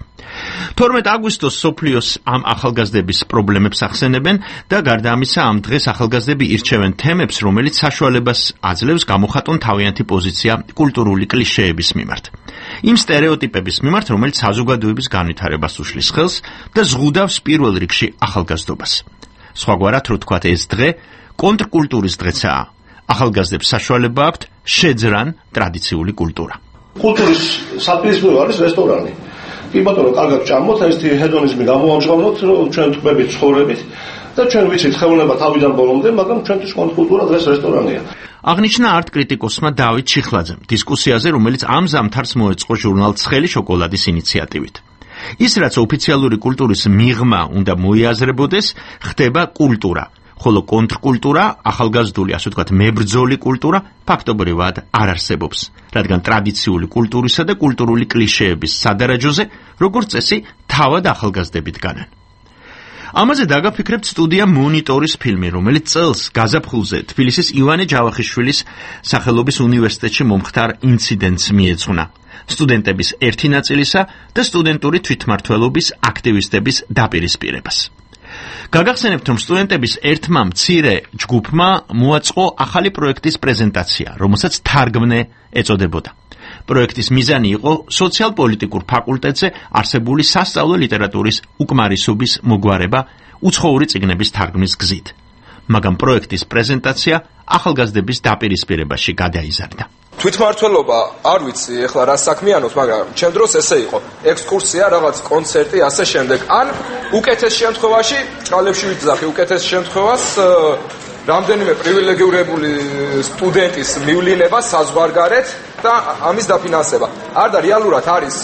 თორმეტ აგვისტოს მსოფლიოს ამ ახალგაზრდების პრობლემებს ახსენებენ და გარდა ამისა ამ დღეს ახალგაზრდები ირჩევენ თემებს, რომელიც საშუალებას აძლევს გამოხატონ თავიანთი პოზიცია კულტურული კლიშეების მიმართ. იმ სტერეოტიპების მიმართ, რომელიც საზოგადოების განვითარებას უშლის ხელს და ზღუდავს პირველ რიგში ახალგაზრდობას. სხვაგვარად რო თქვათ, ეს დღე კონტრკულტურის დღეცაა. ახალგაზრდებს საშუალება აქვთ შეძრან ტრადიციული კულტურა. კულტურის საპირისპირო არის რესტორანი. კი ბატონო, კარგად ჭამოთ, ესეთი ჰედონიზმი გამოამჟღავნოთ, რომ ჩვენ თქვებით ცხოვრებით და ჩვენ ვიცით ხელოვნება თავიდან ბოლომდე, მაგრამ ჩვენთვის კონტრკულტურა დღეს რესტორანია. აღნიშნა არტ კრიტიკოსმა დავით ჩიხლაძემ დისკუსიაზე, რომელიც ამ ზამთარს მოეწყო ჟურნალ ცხელი შოკოლადის ინიციატივით. ის, რაც ოფიციალური კულტურის მიღმა უნდა მოიაზრებოდეს, ხდება კულტურა, ხოლო კონტრკულტურა, ახალგაზრდული, ასე ვთქვათ, მებრძოლი კულტურა ფაქტობრივად არ არსებობს, რადგან ტრადიციული კულტურისა და კულტურული კლიშეების სადარაჯოზე, როგორც წესი, თავად ახალგაზრდები დგანან. ამაზე დაგაფიქრებთ სტუდია მონიტორის ფილმი, რომელიც წელს გაზაფხულზე თბილისის ივანე ჯავახიშვილის სახელობის უნივერსიტეტში მომხდარ ინციდენტს მიეძღვნა. სტუდენტების ერთი ნაწილისა და სტუდენტური თვითმმართველობის აქტივისტების დაპირისპირებას. გაგახსენებთ, რომ სტუდენტების ერთმა მცირე ჯგუფმა მოაწყო ახალი პროექტის პრეზენტაცია, რომელსაც თარგმნე ეწოდებოდა. პროექტის მიზანი იყო სოციალ-პოლიტიკურ ფაკულტეტზე არსებული სასწავლო ლიტერატურის უკმარისობის მოგვარება უცხოური წიგნების თარგმნის გზით. მაგრამ პროექტის პრეზენტაცია ახალგაზრდების დაპირისპირებაში გადაიზარდა. თვითმმართველობა არ ვიცი ეხლა რა საქმიანობს, მაგრამ ჩემ დროს ესე იყო. ექსკურსია, რაღაც კონცერტი, ასე შემდეგ. ან უკეთეს შემთხვევაში, ჭალებში ვიძახი, უკეთეს შემთხვევას რამდენიმე პრივილეგირებული სტუდენტის მივლინება საზღვარგარეთ და ამის დაფინანსება. არ და რეალურად არის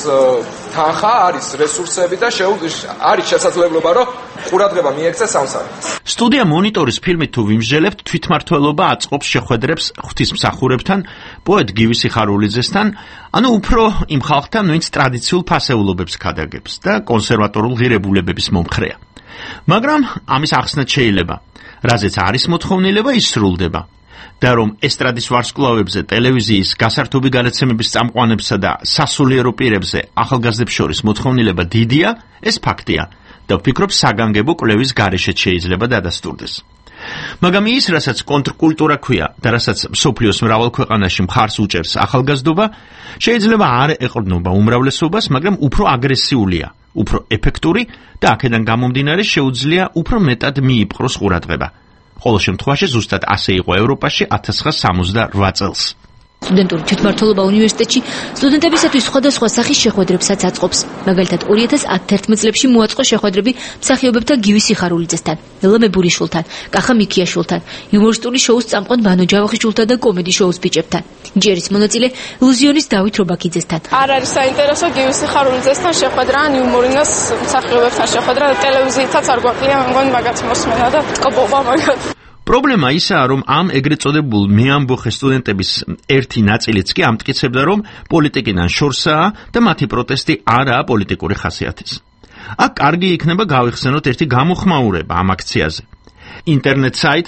თანხა, არის რესურსები და არის შესაძლებლობა, რომ ყურადღება მიექცეს ამ საკითხს. სტუდია მონიტორის ფილმით თუ ვიმსჯელებთ, თვითმმართველობა აწყობს შეხვედრებს ღვთისმსახურებთან, პოეტ გივი სიხარულიძესთან, ანუ უფრო იმ ხალხთან, ვინც ტრადიციულ ფასეულობებს ქადაგებს და კონსერვატორულ ღირებულებების მომხრეა. მაგრამ ამის ახსნაც შეიძლება, რაზეც არის მოთხოვნილება, ის სრულდება. და რომ ესტრადის ვარსკვლავებზე, ტელევიზიის, გასართობი განაცემების წამყვანებსა და სასულიერო პირებზე ახალგაზრდებს შორის მოთხოვნილება დიდია, ეს ფაქტია და ვფიქრობ, საგანგებო კვლევის გარეშეც შეიძლება დადასტურდეს. მაგრამ ის, რასაც კონტრკულტურა ქვია და რასაც მსოფლიოს მრავალ ქვეყანაში მხარს უჭერს ახალგაზრდობა, შეიძლება არ ეყრდნობა უმრავლესობას, მაგრამ უფრო აგრესიულია, უფრო ეფექტური და აქედან გამომდინარე შეუძლია უფრო მეტად მიიპყროს ყურადღება. ყოველ შემთხვევაში ზუსტად ასე იყო ევროპაში ათას ცხრაასი სამოცდაოთხ წელს. სტუდენტური თვითმმართველობა უნივერსიტეტში სტუდენტებისათვის სხვადასხვა სახის შეხვედრებსაც აწყობს. მაგალითად, ორი ათას ათერთმეტ წლებში მოაწყო შეხვედრები მსახიობებთან გივი სიხარულიძესთან, ელა მებურიშვილთან, კახა მიქიაშვილთან, იუმორისტული შოუს წამყვან ბანო ჯავახიშვილთან და კომედი შოუს ბიჭებთან. ჯერის მონაწილე ილუზიონის დავით რობაქიძესთან. არ არის საინტერესო გივი სიხარულიძესთან შეხვედრა, ან იუმორინოს მსახიობებთან შეხვედრა და ტელევიზიითაც არ გვაკლია, მგონი მაგაც მოსმენა და ტკბობა მაგაც. პრობლემა ისაა, რომ ამ ეგრეთ წოდებულ მეამბოხე სტუდენტების ერთი ნაწილიც კი ამტკიცებდა, რომ პოლიტიკიდან შორსაა და მათი პროტესტი არაა პოლიტიკური ხასიათის. აქ კარგი იქნება გავიხსენოთ ერთი გამოხმაურება ამ აქციაზე. ინტერნეტ საიტ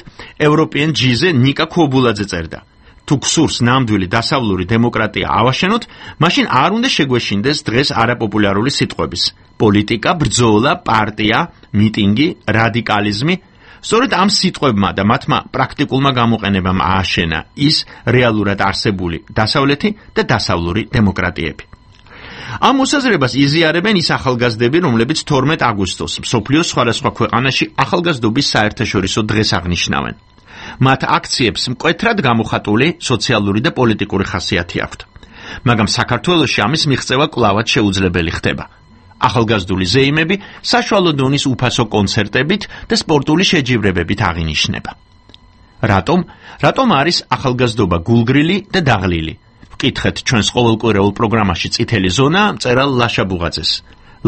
European G-ზე ნიკა ქობულაძე წერდა: თუ გსურს ნამდვილი დასავლური დემოკრატია ავაშენოთ, მაშინ არ უნდა შეგვეშინდეს დღეს არაპოპულარული სიტყვების: პოლიტიკა, ბრძოლა, პარტია, მიტინგი, რადიკალიზმი. სწორედ ამ სიტყვებმა და მათმა პრაქტიკულმა გამოყენებამ ააშენა ის რეალურად არსებული დასავლეთი და დასავლური დემოკრატიები. ამ მოსაზრებას იზიარებენ ის ახალგაზრდები, რომლებიც თორმეტ აგვისტოს მსოფლიოს სხვადასხვა ქვეყანაში ახალგაზრდობის საერთაშორისო დღეს აღნიშნავენ. მათ აქციებს მკვეთრად გამოხატული სოციალური და პოლიტიკური ხასიათი აქვთ. მაგრამ საქართველოში ამის მიღწევა კვლავად შეუძლებელი ხდება. ახალგაზრდული ზეიმები საშუალო დონის უფასო კონცერტებით და სპორტული შეჯიბრებებით აღინიშნება. რატომ? რატომ არის ახალგაზრდობა გულგრილი და დაღლილი? ვკითხეთ ჩვენს ყოველკვირეულ პროგრამაში წითელი ზონა მწერალ ლაშა ბუღაძეს.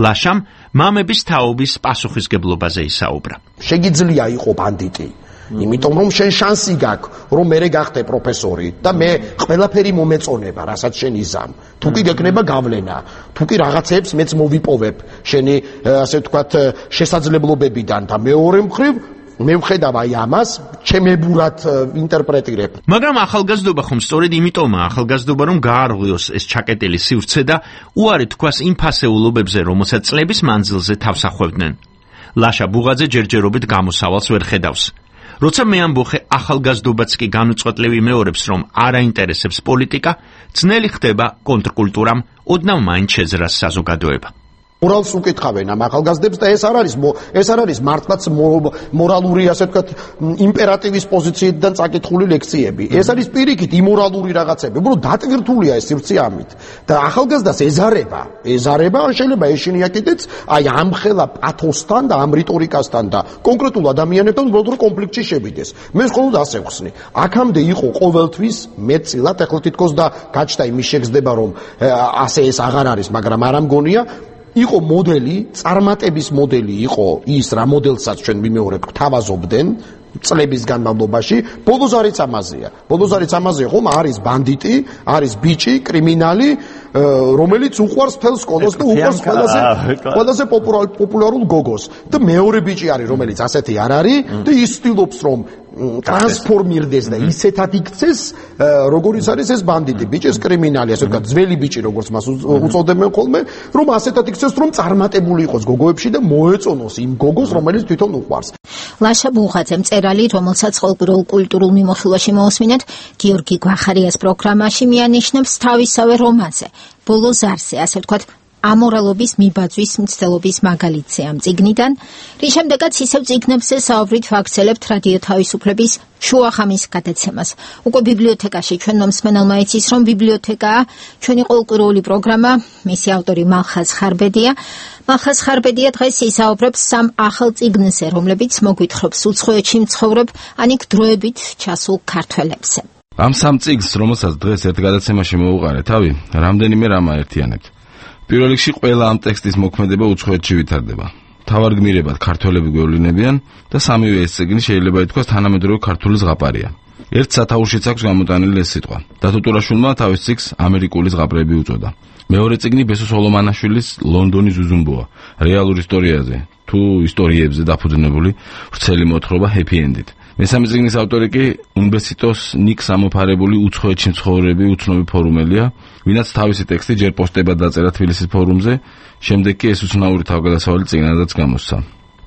ლაშამ მამების თაობის პასუხისგებლობაზე ისაუბრა. შეგიძლია იყო ბანდიტი. იმიტომ რომ შენ შანსი გაქვს რომ მე გახდე პროფესორი და მე ყველაფერი მომეწონება რასაც შენ იზამ. თუ კი გეკნება გავლენა, თუ კი რაღაცებს მეც მოვიპოვებ შენი ასე ვთქვათ შესაძლებლობებიდან და მეორე მხრივ მე ვხედავ აი ამას ჩემებურად ინტერპრეტირებ. მაგრამ ახალგაზრდობა ხომ სწორედ იმიტომაა ახალგაზრდობა, რომ გაარღვიოს ეს ჩაკეტილი სივრცე და უარი თქვას იმ ფასეულობებზე, რომელსაც წლების მანძილზე თავს ახვევდნენ. ლაშა ბუღაძე ჯერჯერობით გამოსავალს ვერ ხედავს. როცა მეამბოხე ახალგაზრდობაც კი განუწყვეტლივ იმეორებს, რომ არ აინტერესებს პოლიტიკა, ძნელი ხდება კონტრკულტურამ ოდნავ მაინც შეძრას საზოგადოება. მორალს უკითხავენ ამ ახალგაზრდებს და ეს არ არის ეს არ არის მართლაც მორალური ასე ვთქვათ იმპერატივის პოზიციიდან წაკითხული ლექციები. ეს არის პირიქით იმორალური რაღაცები. უბრალოდ დატვირთულია ეს სივრცე ამით. და ახალგაზრდას ეზარება, ეზარება ან შეიძლება ეშინია კიდეც აი ამ ხელა პათოსთან და ამ რიტორიკასთან და კონკრეტულ ადამიანებთან უბრალოდ რომ კონფლიქტში შევიდეს. მე მხოლოდ ასე ვხსნი. აქამდე იყო ყოველთვის მეტწილად, ახლა თითქოს და გაჩნდა იმის შეგრძნება რომ ასე ეს აღარ არის, მაგრამ არ ამგონია იყო მოდელი, წარმატების მოდელი იყო ის რა მოდელსაც ჩვენ ვიმეორებთ, თავაზობდნენ წლების განმავლობაში. ბოლოს არის ამაზეა. ბოლოს არის ამაზეა, ხომ არის ბანდიტი, არის ბიჭი, კრიმინალი, რომელიც უყვარს მთელ სკოლას და უყვარს ყველაზე ყველაზე პოპულარულ გოგოს. და მეორე ბიჭი არის, რომელიც ასეთი არ არის და ის ცდილობს რომ ტრანსფორმირდეს და ისეთად იქცეს, როგორიც არის ეს ბანდიტი, ბიჭი, ეს კრიმინალი, ასე ვთქვათ, ძველი ბიჭი, როგორც მას უწოდებენ ხოლმე, რომ ასეთად იქცეს, რომ წარმატებული იყოს გოგოებში და მოეწონოს იმ გოგოს, რომელიც თვითონ უყვარს. ლაშა ბუღაძე მწერალი, რომელსაც ყოველკვირეულ კულტურულ მიმოხილვაში მოусმინეთ, გიორგი გვახარიას პროგრამაში მიანიშნებს თავისავე რომანზე. ბოლო ზარზე, ასე ვთქვათ, ამორალობის მიბაძვის მცდელობის მაგალითზე ამ წიგნიდან, რის შემდეგაც ისევ წიგნებზე საუბრით ვაგრძელებთ რადიო თავისუფლების შუახამის გადაცემას. უკვე ბიბლიოთეკაში ჩვენმა მსმენელმა იცის, რომ ბიბლიოთეკაა ჩვენი ყოველკვირეული პროგრამა, მისი ავტორი მალხაზ ხარბედია. მალხაზ ხარბედია დღეს ისაუბრებს სამ ახალ წიგნზე, რომლებიც მოგვითხრობს უცხოეთში მცხოვრებ ანიკ დროებით ჩასულ ქართველებზე. ამ სამ წიგნს, რომელსაც დღეს ერთ გადაცემაში მოუყარე თავი, რამდენიმე რამ აერთიანებთ. პირველ რიგში ყველა ამ ტექსტის მოქმედება უცხოეთში ვითარდება. თავარ გმირებად ქართველები გვევლინებიან და სამივე ეს წიგნი შეიძლება ითქვას თანამედროვე ქართული ზღაპარია. ერთ სათაურშიც აქვს გამოტანილი ეს სიტყვა. დათო ტურაშვილმა თავის წიგნს ამერიკული ზღაპრები უწოდა. მეორე წიგნი ბესო სოლომანაშვილის ლონდონის ზუზუმბოა, რეალურ ისტორიაზე თუ ისტორიებზე დაფუძნებული ვრცელი მოთხრობა ჰეპი ენდით. მესამე წიგნის ავტორი კი უნბესიტოს ნიკ სამოფარებული უცხოეთში მცხოვრები უცნობი ფორუმელია, ვინაც თავისი ტექსტი ჯერ პოსტებად დაწერა თბილისის ფორუმზე, შემდეგ კი ეს უცნაური თავგადასავალი წიგნადაც გამოსცა.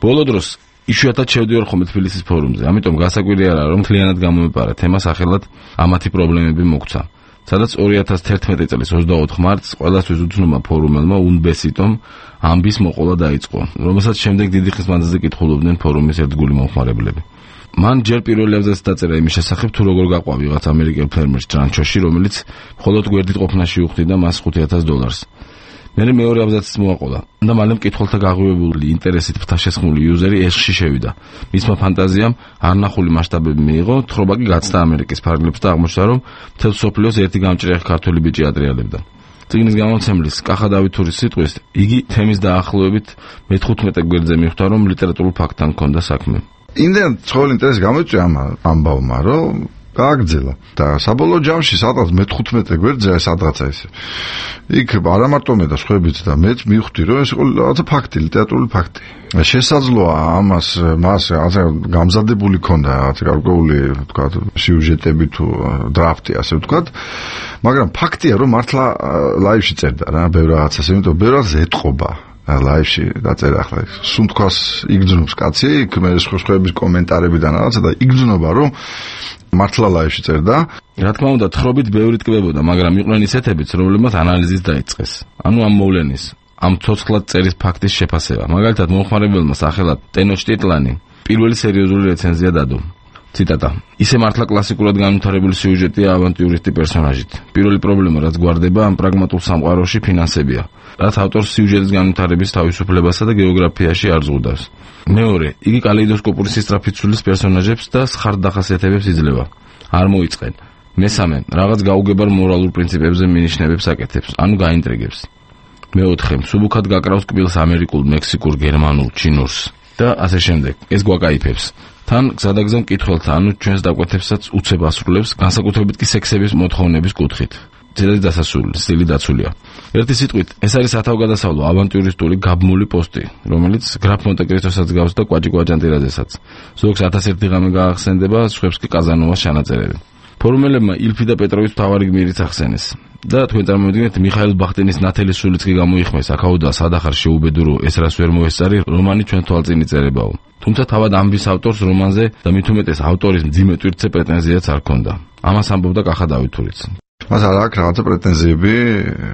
ბოლო დროს იშვიათად შევდივარ ხოლმე თბილისის ფორუმზე, ამიტომ გასაკვირი არაა, რომ მთლიანად გამომეპარა თემა სახელად ამათი პრობლემები მოგცა. სადაც ორი ათას თერთმეტი წლის ოცდაოთხ მარტს ყველასთვის უცნობმა ფორუმელმა უნბესიტომ ამბის მოყოლა დაიწყო, რომელსაც შემდეგ დიდი ხნის მანძილზე კითხულობდნენ ფორუმის ერთგული მომხმარებლები. მან ჯერ პირველი აბზაცი დაწერა იმის შესახებ, თუ როგორ გაყვა ვიღაც ამერიკელ ფერმერს ტრანჩოში, რომელიც მხოლოდ გვერდით ყოფნაში უხდიდა მას ხუთი ათას დოლარს. მერე მეორე აბზაციც მოაყოლა და მალე მკითხველთა გაღვივებული ინტერესით ფთაშესხმული იუზერი ეშში შევიდა. მისმა ფანტაზიამ არნახული მასშტაბები მიიღო, თხრობა კი გაცდა ამერიკის ფარგლებს და აღმოჩნდა, რომ მთელ სოფლიოს ერთი გამჭრიახი ქართველი ბიჭი ატრიალებდა. წიგნის გამომცემლის კახა დავითურის სიტყვის, იგი თემის დაახლოებით მეთხუთმეტე გვერდზე მიხვდა, რომ ლიტერატურულ ფაქტთან ჰქონდა საქმე. იმდენ ცხოველ ინტერესი გამოიწვია ამ ამბავმა, რომ გააგრძელა და საბოლოო ჯამში სადღაც მეთხუთმეტე გვერდზე ეს სადღაცა ეს იქ არა მარტო მე და სხვაებიც და მეც მივხვდი, რომ ეს იყო რაღაცა ფაქტი, ლიტერატურული ფაქტი. შესაძლოა ამას მას რაღაცა გამზადებული ქონდა რაღაცა გარკვეული თქვა სიუჟეტები თუ დრაფტი ასე ვთქვათ, მაგრამ ფაქტია, რომ მართლა ლაივში წერდა რა ბევრ რაღაცას, იმიტომ ბევრ რაღაცას ეტყობა ლაივში დაწერა. ახლა სულ თქოს იგრძნობს კაცი, იქ მე სხვების კომენტარებიდან რაღაცა და იგრძნობა, რომ მართლა ლაივში წერდა. რა თქმა უნდა, თხრობით ბევრი ტკბებოდა, მაგრამ იყვნენ ისეთებიც, რომლებმაც ანალიზის დაიწყეს. ანუ ამ მოვლენის, ამ ცოცხლად წერის ფაქტის შეფასება. მაგალითად, მომხმარებელმა სახელად ტენოჩ ტიტლანი პირველი სერიოზული რეცენზია დადო. ციტატა: ისე მართლა კლასიკურად განვითარებული სიუჟეტია ავანტიურისტი პერსონაჟით. პირველი პრობლემა, რაც გვარდება ამ პრაგმატულ სამყაროში, ფინანსებია, რაც ავტორს სიუჟეტის განვითარების თავისუფლებასა და გეოგრაფიაში არ ზღუდავს. მეორე, იგი კალეიდოსკოპური სისწრაფით ცვლის პერსონაჟებს და სხარდ დახასიათებებს იძლევა. არ მოიწყენ. მესამე, რაღაც გაუგებარ მორალურ პრინციპებზე მინიშნებებს აკეთებს, ანუ გაინტრიგებს. მეოთხე, მსუბუქად გაკრავს კბილს ამერიკულ, მექსიკურ, გერმანულ, ჩინურს და ასე შემდეგ. ეს გვაკაიფებს. თან გზადაგზა მკითხველთა, ანუ ჩვენს დაკვეთებსაც უცებ ასრულებს, განსაკუთრებით კი სექსების მოთხოვნების კუთხით. ძირითადად დასასრული სტილი დაცულია. ერთი სიტყვით, ეს არის სათავგადასავლო ავანტიურისტული გაბმული პოსტი, რომელიც გრაფ მონტე-კრისტოსაც გავს და კვაჭი კვაჭანტირაძესაც. ზოგს ათას ერთი ღამე გაახსენდება, სხვებს კი კაზანოვას ჩანაწერები. ფორუმელებმა ილფი და პეტროვის მთავარი გმირიც ახსენეს. და თქვენ წარმოვიდგინეთ, მიხაილ ბახტინის ნათელი სულიც კი გამოიხმეს, აქაუდა სადახარ შეუბედურო, ეს რას ვერ მოესწარი, რომანი ჩვენ თვალწინ იწერებაო. თუმცა თავად ამბის ავტორს რომანზე და მით უმეტეს ავტორის მძიმე ტვირთზე პრეტენზიაც არ ჰქონდა. ამას ამბობდა კახა დავითურიც. მას არ აქვს რაღაცა პრეტენზიები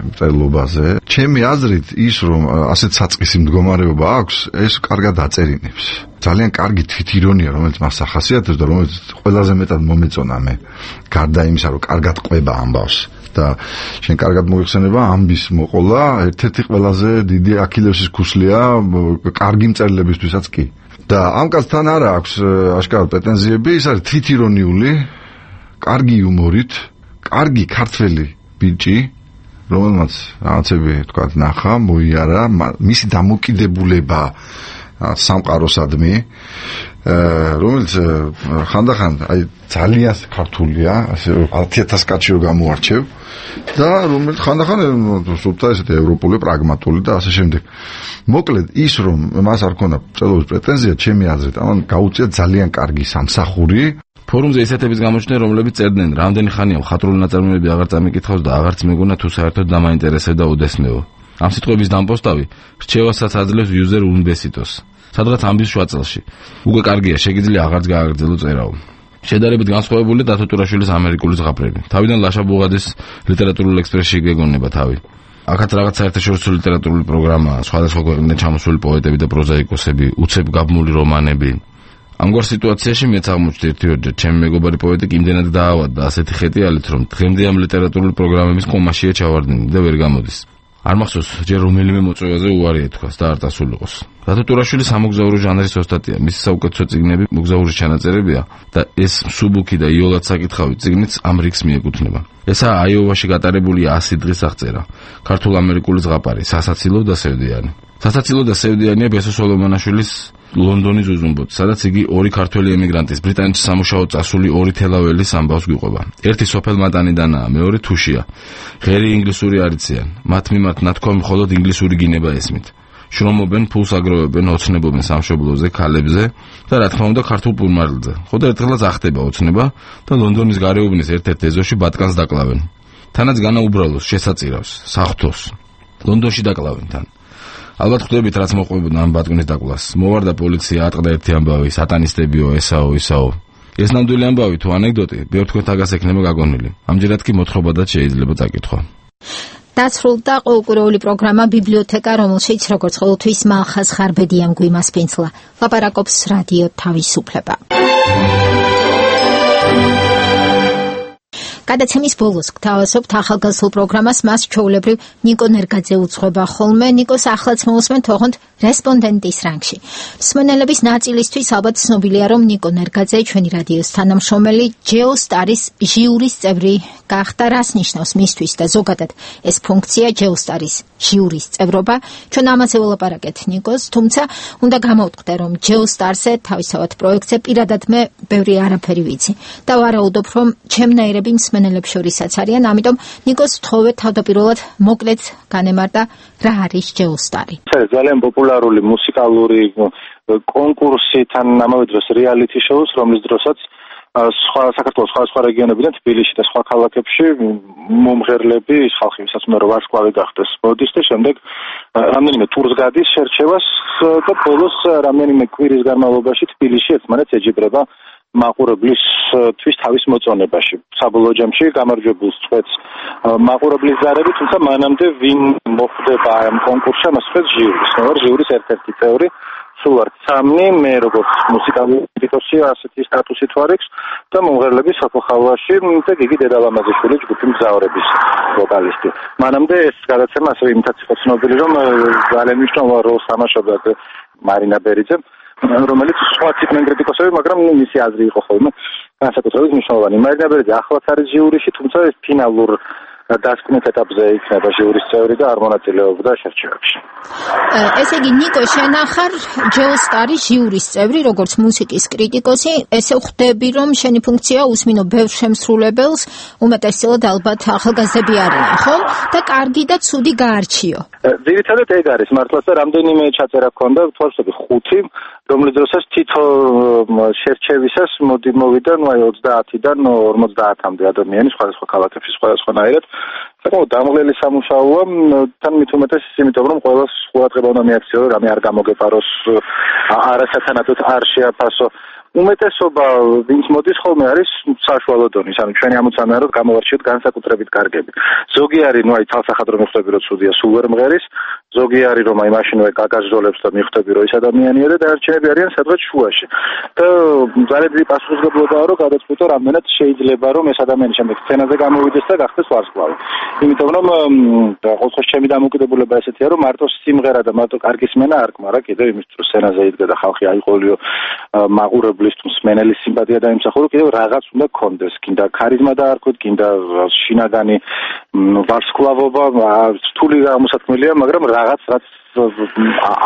მწერლობაზე. ჩემი აზრით ის, რომ ასეთ საწყისი მდგომარეობა აქვს, ეს კარგად აწერინებს. ძალიან კარგი თვითირონია, რომელიც მას ახასიათებს და რომელიც ყველაზე მეტად მომეწონა მე. გარდა იმისა, რომ კარგად ყვება ამბავს და შენ კარგად მოიხსენება ამბის მოყოლა, ერთ-ერთი ყველაზე დიდი აქილევსის ქუსლია კარგი მწერლებისთვისაც კი. და ამ კაცთან არ აქვს აშკარად პრეტენზიები, ის არის თვითირონიული, კარგი იუმორით, კარგი ქართველი ბიჭი, რომელმაც რაღაცები თქვა ნახა, მოიარა, მისი დამოკიდებულება სამყაროსადმი, რომელიც ხანდახან აი ძალიან ქართულია, ასე ათი ათას კაცი რო გამოარჩევ და რომელიც ხანდახან სულთა ესეთი ევროპული, პრაგმატული და ასე შემდეგ. მოკლედ ის, რომ მას არ ქონდა წერლობის პრეტენზია, ჩემი აზრით, ამან გაუწია ძალიან კარგი სამსახური. ფორუმზე ისეთების გამოჩნდნენ, რომლებიც წერდნენ, რამდენი ხანია მხატვრული ნაწარმოებები აღარ წამიკითხავს და აღარც მეგონა თუ საერთოდ დამაინტერესებდა უდესმეო. ამ სიტყვების დამპოსტავი რჩევასაც აძლევს იუზერ უნბესიტოს. სადღაც ამბის შუაწელში. უკვე კარგია, შეგიძლია აღარც გააგრძელო წერაო. შედარებით განსხვავებულია დათო ტურაშვილის ამერიკული ზღაპრები. თავიდან ლაშა ბუღაძის ლიტერატურულ ექსპრესში გეგონება თავი. აქაც რაღაც საერთაშორისო ლიტერატურული პროგრამაა, სხვადასხვა ქვეყნიდან ჩამოსული პოეტები და პროზაიკოსები, უცებ გაბმული რომანები. ამგვარ სიტუაციაში მეც აღმოჩნდი ერთიორჯერ, ჩემი მეგობარი პოეტი იმდენად დაავადდა ასეთი ხეტიალით, რომ დღემდე ამ ლიტერატურული პროგრამების კომაშია ჩავარდნილი და ვერ გამოდის. არ მახსოვს, ჯერ რომელიმე მოწვევაზე უარი ეთქვას და არ დასულიყოს. დათო ტურაშვილი სამოგზაურო ჟანრის ოსტატია, მისი საუკეთესო წიგნები მოგზაურის ჩანაწერებია და ეს მსუბუქი და იოლად საკითხავი წიგნიც ამ რიგს მიეკუთვნება. ესაა აიოვაში გატარებული ასი დღის აღწერა, ქართულ-ამერიკული ზღაპარი, სასაცილო და სევდიანი. სასაცილო და სევდიანია ბესო სოლომონაშვილის ლონდონის უზუმბოთ, სადაც იგი ორი ქართველი ემიგრანტის, ბრიტანეთში სამუშაოდ წასული ორი თელაველის ამბავს გვიყვება. ერთი სოფელ მატანიდანაა, მეორე თუშია. ღერი ინგლისური არ იციან. მათ მიმართ ნათქვამი მხოლოდ ინგლისური გინება ესმით. შრომობენ, ფულს აგროვებენ, ოცნებობენ სამშობლოზე, ქალებზე და რა თქმა უნდა ქართულ პურმარილზე. ხოდა ერთხელაც ახდება ოცნება და ლონდონის გარეუბნის ერთ-ერთ ეზოში ბატკანს დაკლავენ. თანაც განაუბრალოს, შესაწირავს, საღვთოს. ლონდონში დაკლავენ თან. ალბათ ხვდებით, რაც მოყვებოდა ამ ბატკნის დაკლას. მოვარდა პოლიცია, ატყდა ერთი ამბავი, სატანისტებიო, ესაო, ისაო. ეს ნამდვილი ამბავი თუ ანეკდოტი, ბევრ თქვენ თაგას ექნება გაგონილი. ამჯერად კი მოთხრობადაც შეიძლება წაკითხვა. დასრულდა ყოველკვირეული პროგრამა ბიბლიოთეკა, რომელშიც როგორც ყოველთვის მალხაზ ხარბედიამ გვიმასპინძლა. ლაპარაკობს რადიო თავისუფლება. გადაცემის ბოლოს გთავაზობთ ახალგაზრდულ პროგრამას, მას ჩვეულებრივ ნიკო ნერგაძე უძღვება ხოლმე. ნიკოს ახლაც მოვუსმენთ ოღონდ რესპონდენტის რანგში. მსმენელების ნაწილისთვის ალბათ ცნობილია, რომ ნიკო ნერგაძე, ჩვენი რადიოს თანამშრომელი, ჯეოსტარის ჟიურის წევრი გახდა. რას ნიშნავს მისთვის და ზოგადად ეს ფუნქცია, ჯეოსტარის ჟიურის წევრობა? ჩვენ ამაზე ველაპარაკეთ ნიკოს, თუმცა უნდა გამოვთქვდე, რომ ჯეოსტარზე, თავისთავად პროექტზე პირადად მე ბევრი არაფერი ვიცი და ვარაუდობ, რომ ჩემნაირები მსმენელებს შორისაც არიან, ამიტომ ნიკოს ვთხოვე თავდაპირველად მოკლედ განემარტა რა არის ჯეოსტარი. ეს ძალიან პოპულარული მუსიკალური კონკურსი, თან ამავე დროს რეალიტი შოუს, რომლის დროსაც სხვა საქართველოს სხვადასხვა რეგიონებიდან თბილისში და სხვა ქალაქებში მომღერლები, ის ხალხი, ვისაც უნდა რომ ვარსკვლავი გახდეს, მოდის და შემდეგ რამდენიმე ტურს გადის შერჩევას და ბოლოს რამდენიმე კვირის განმავლობაში თბილისში ერთმანეთს ეჯიბრება მაყურებლისთვის თავის მოწონებაში. საბოლოო ჯამში გამარჯვებულს წვეთს მაყურებლის ზარები, თუმცა მანამდე ვინ მოხვდება ამ კონკურსში, მას წვეთს ჟიურის. მე ვარ ჟიურის ერთ-ერთი წევრი, სულ ვართ სამი, მე როგორც მუსიკალური კრიტიკოსი ასეთი სტატუსით ვარ აქვს და მომღერლები საფოხალვაში და გიგი დედალამაზიშვილი ჯგუფი მგზავრების ვოკალისტი. მანამდე ეს გადაცემა ასევე იმითაც იყო ცნობილი, რომ ძალიან მნიშვნელოვან როლს თამაშობდა მარინა ბერიძე, რომელიც სხვა ციგნიან კრიტიკოსები, მაგრამ მისი აზრი იყო ხოლმე განსაკუთრებით მნიშვნელოვანი. მარინა ბერიძე ახლაც არის ჟიურიში, თუმცა ეს ფინალურ დასკვნით ეტაპზე იქნება ჟიურის წევრი და არ მონაწილეობდა შერჩევებში. ესე იგი, ნიკო, შენ ახარ ჯეოსტარის ჟიურის წევრი, როგორც მუსიკის კრიტიკოსი, ესე ხვდები, რომ შენი ფუნქცია უსმინო ბევრ შემსრულებელს, უმეტესწილად ალბათ ახალგაზრდები არიან, ხო? და კარგი და ცუდი გაარჩიო. ძირითადად ეგ არის მართლაც და რამდენიმე ჩაწერა ჰქონდა, თვალსები ხუთი, რომლის დროსაც თითო შერჩევისას მოდი მოვიდა, ნუ აი ოცდაათიდან ორმოცდაათამდე ადამიანი სხვადასხვა ქალაქებში სხვადასხვანაირად. საკმაოდ დამღლელი სამუშაოა, თან მით უმეტეს იმიტომ, რომ ყველას ყურადღება უნდა მიაქციო, რამე არ გამოგეპაროს, არასათანადოდ არ შეაფასო. უმეტესობა ვინც მოდის ხოლმე არის საშუალო დონის, ანუ ჩვენი ამოცანა რომ გამოვარჩიოთ განსაკუთრებით კარგები. ზოგი არის, ნუ აი თალსახად რომ მიხვდები რომ ცუდია, სულ ვერ მღერის, ზოგი არის რომ აი მაშინვე გაგაჟდოლებს და მიხვდები რომ ის ადამიანია და დანარჩენები არიან სადღაც შუაში. და ძალიან დიდი პასუხისმგებლობაა რომ გადაწყვიტო რამდენად შეიძლება რომ ეს ადამიანი შემდეგ სცენაზე გამოვიდეს და გახდეს ვარსკვლავი. იმიტომ რომ ყოველთვის ჩემი დამოკიდებულება ესეთია რომ მარტო სიმღერა და მარტო კარგი სმენა არ გმარა, კიდევ იმის რომ სცენაზე იდგა და ხალხი აიყოლიო მაყურებელი მსმენელის სიმპათია დაიმსახურო, კიდევ რაღაც უნდა გქონდეს, გინდა ქარიზმა დაარქვით, გინდა შინაგანი ვარსკვლავობა, რთული გამოსათქმელია, მაგრამ რაღაც რაც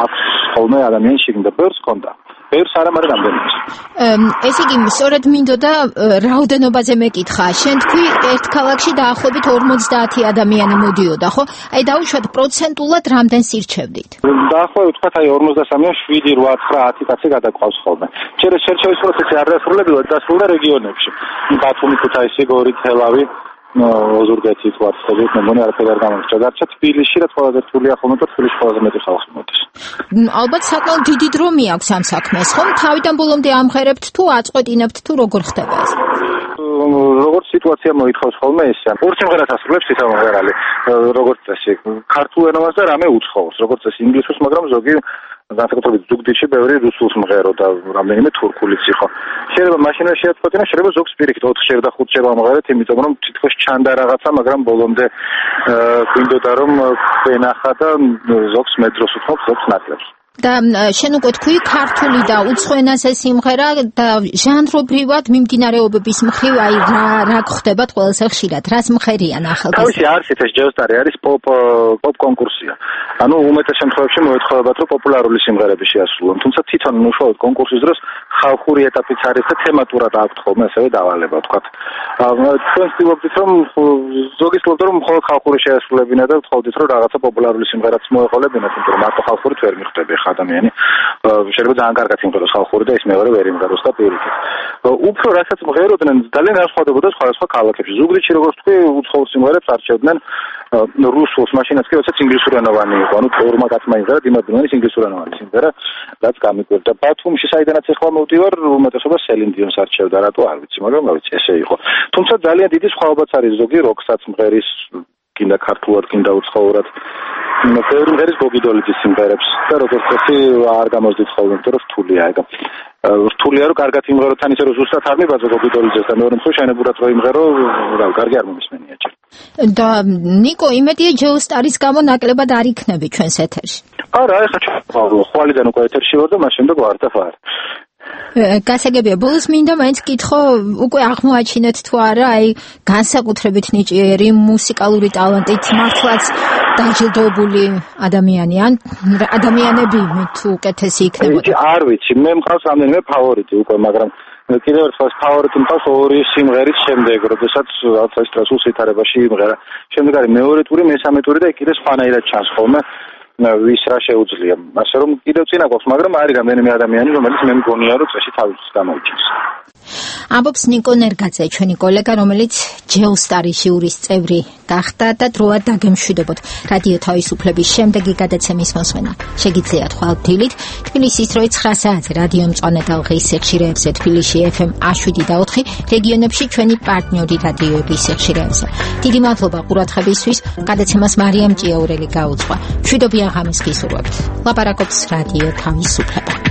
აქვს ხოლმე ადამიანის შიგნით ბევრს ჰქონდა. ბევრს არა, მაგრამ რამდენიმე. ესე იგი, სწორედ მინდოდა რაოდენობაზე მეკითხა. შენ თქვი ერთ ქალაქში დაახლოებით ორმოცდაათი ადამიანი მოდიოდა, ხო? აი დაუშვათ პროცენტულად რამდენს ირჩევდით? დაახლოებით თქვა აი ორმოცდასამი, შვიდი, ოთხ, ათი, ათი კაცი გადაყვავს ხოლმე. შეიძლება შერჩევის პროცესი არ დასრულებულა, დასრულდა რეგიონებში. ბათუმი, ქუთაისი, გორი, თელავი, ოზურგეთი, თვალსები, მე მგონი არაფერი არ გამოსჭა. დარჩა თბილისში, რაც ყველაზე რთულია ხოლმე და თბილისში ყველაზე მეტი ხალხი მოდის. ალბათ საკმაოდ დიდი დრო მიაქვს ამ საქმეს, ხომ? თავიდან ბოლომდე ამღერებთ თუ აწყვეტინებთ თუ როგორ ხდება ეს? როგორც სიტუაცია მოითხოვს ხოლმე ისე. ორ სიმღერას ასრულებს თითო მომღერალი, როგორც წესი. ქართულ ენას და რამე უცხოურს, როგორც წესი ინგლისურს, მაგრამ ზოგი განსაკუთრებით ზუგდიდში ბევრი რუსულს მღერო და რამდენიმე თურქულიც იყო. შეიძლება მაშინვე შეაწყვეტინა, შეიძლება ზოგს პირიქით ოთხჯერ და ხუთჯერ ამღერეთ, იმიტომ რომ თითქოს ჩანდა რაღაცა, მაგრამ ბოლომდე გვინდოდა რომ ვენახა და ზოგს მეტროს უთხობ, ზოგს ნაკლებს. და შენ უკვე თქვი ქართული და უცხო ენაზე სიმღერა და ჟანრობრივად მიმდინარეობების მხრივ აი რა რა ხდებათ ყველაზე ხშირად, რას მღერიან ახალგაზრდები? თავისი არსით ეს ჯეოსტარი არის pop pop კონკურსია. ანუ უმეტეს შემთხვევებში მოეთხოვებათ რომ პოპულარული სიმღერები შეასრულონ, თუმცა თვითონ უშუალოდ კონკურსის დროს ხალხური ეტაპიც არის და თემატურად აქვთ ხოლმე ასევე დავალება, თქვათ. თქვენ ვთქვით რომ ზოგი ცდილობდა რომ მხოლოდ ხალხური შეასრულებინა და ვთხოვდით რომ რაღაცა პოპულარული სიმღერაც მოეყოლებინათ, იმიტომ რომ მარტო ხალხურით ვერ მიხვდები ადამიანი. შეიძლება ძალიან კარგად იმღეროს ხალხური და ის მეორე ვერ იმღეროს და პირიქით. უფრო რასაც მღეროდნენ, ძალიან განსხვავდებოდა სხვადასხვა ქალაქებში. ზუგდიდში როგორც თქვი, უცხოურ სიმღერებს არჩევდნენ რუსულს, მაშინაც კი როდესაც ინგლისურენოვანი იყო. ანუ ორმა კაცმა იმღერა დიმადლონის ინგლისურენოვანი სიმღერა, რაც გამიკვირდა. ბათუმში საიდანაც ახლა მოვდივარ, უმეტესობა სელინ დიონს არჩევდა, რატო არ ვიცი, მაგრამ რა ვიცი, ესე იყო. თუმცა ძალიან დიდი სხვაობაც არის ზოგი როკსაც მღერის გინდა ქართულად, გინდა უცხოურად. ბევრი მღერის გოგიდოლიძის სიმღერებს და როგორც წესი არ გამოსდით ხოლმე, იმიტომ რომ რთულია ეგ. რთულია რომ კარგად იმღერო თან ისე რომ ზუსტად არ მიბაძო გოგიდოლიძეს და მეორე მხრივ შენებურად რო იმღერო, რა კარგი არ მომისმენია ჯერ. და ნიკო, იმედია ჯეოსტარის გამო ნაკლებად არ იქნები ჩვენს ეთერში. არა, ეხლა ხვალიდან უკვე ეთერში ვარ და მას შემდეგ ვარ და ვარ. გასაგებია, ბოლოს მინდა მაინც გითხო, უკვე აღმოაჩინეთ თუ არა, აი განსაკუთრებით ნიჭიერი მუსიკალური ტალანტით მართლაც დაჯილდოებული ადამიანი ან ადამიანები თუ უკეთესი იქნებოდა. არ ვიცი, მე მყავს რამდენიმე ფავორიტი უკვე, მაგრამ კიდევ ერთხელ ფავორიტი მყავს ორი სიმღერის შემდეგ, როდესაც რაღაც ეს ტრასულ სითარებაში იმღერა. შემდეგ არის მეორე ტური, მესამე ტური და კიდე სხვანაირად ჩანს ხოლმე. ვის რა შეუძლია. ასე რომ კიდევ წინა გვაქვს, მაგრამ არის რამდენიმე ადამიანი, რომელიც მე მგონია, რომ წესი თავის გამოიჩენს. ამბობს ნიკო ნერგაძე, ჩვენი კოლეგა, რომელიც ჯეოსტარის ჟიურის წევრი გახდა და დროად დაგემშვიდობოთ. რადიო თავისუფლების შემდეგი გადაცემის მოსმენა შეგიძლიათ ხვალ-დილით თბილისის დროით ცხრა საათზე რადიო მწვანე ტალღის სიხშირეებზე თბილისში ეფ ემ შვიდ და ოთხი, რეგიონებში ჩვენი პარტნიორი რადიოების სიხშირეებზე. დიდი მადლობა ყურადღებისთვის. გადაცემას მარიამ ჭიაურელი გაუძღვა. მშვიდობიან ღამეს გისურვებთ. ლაპარაკობს რადიო თავისუფლება.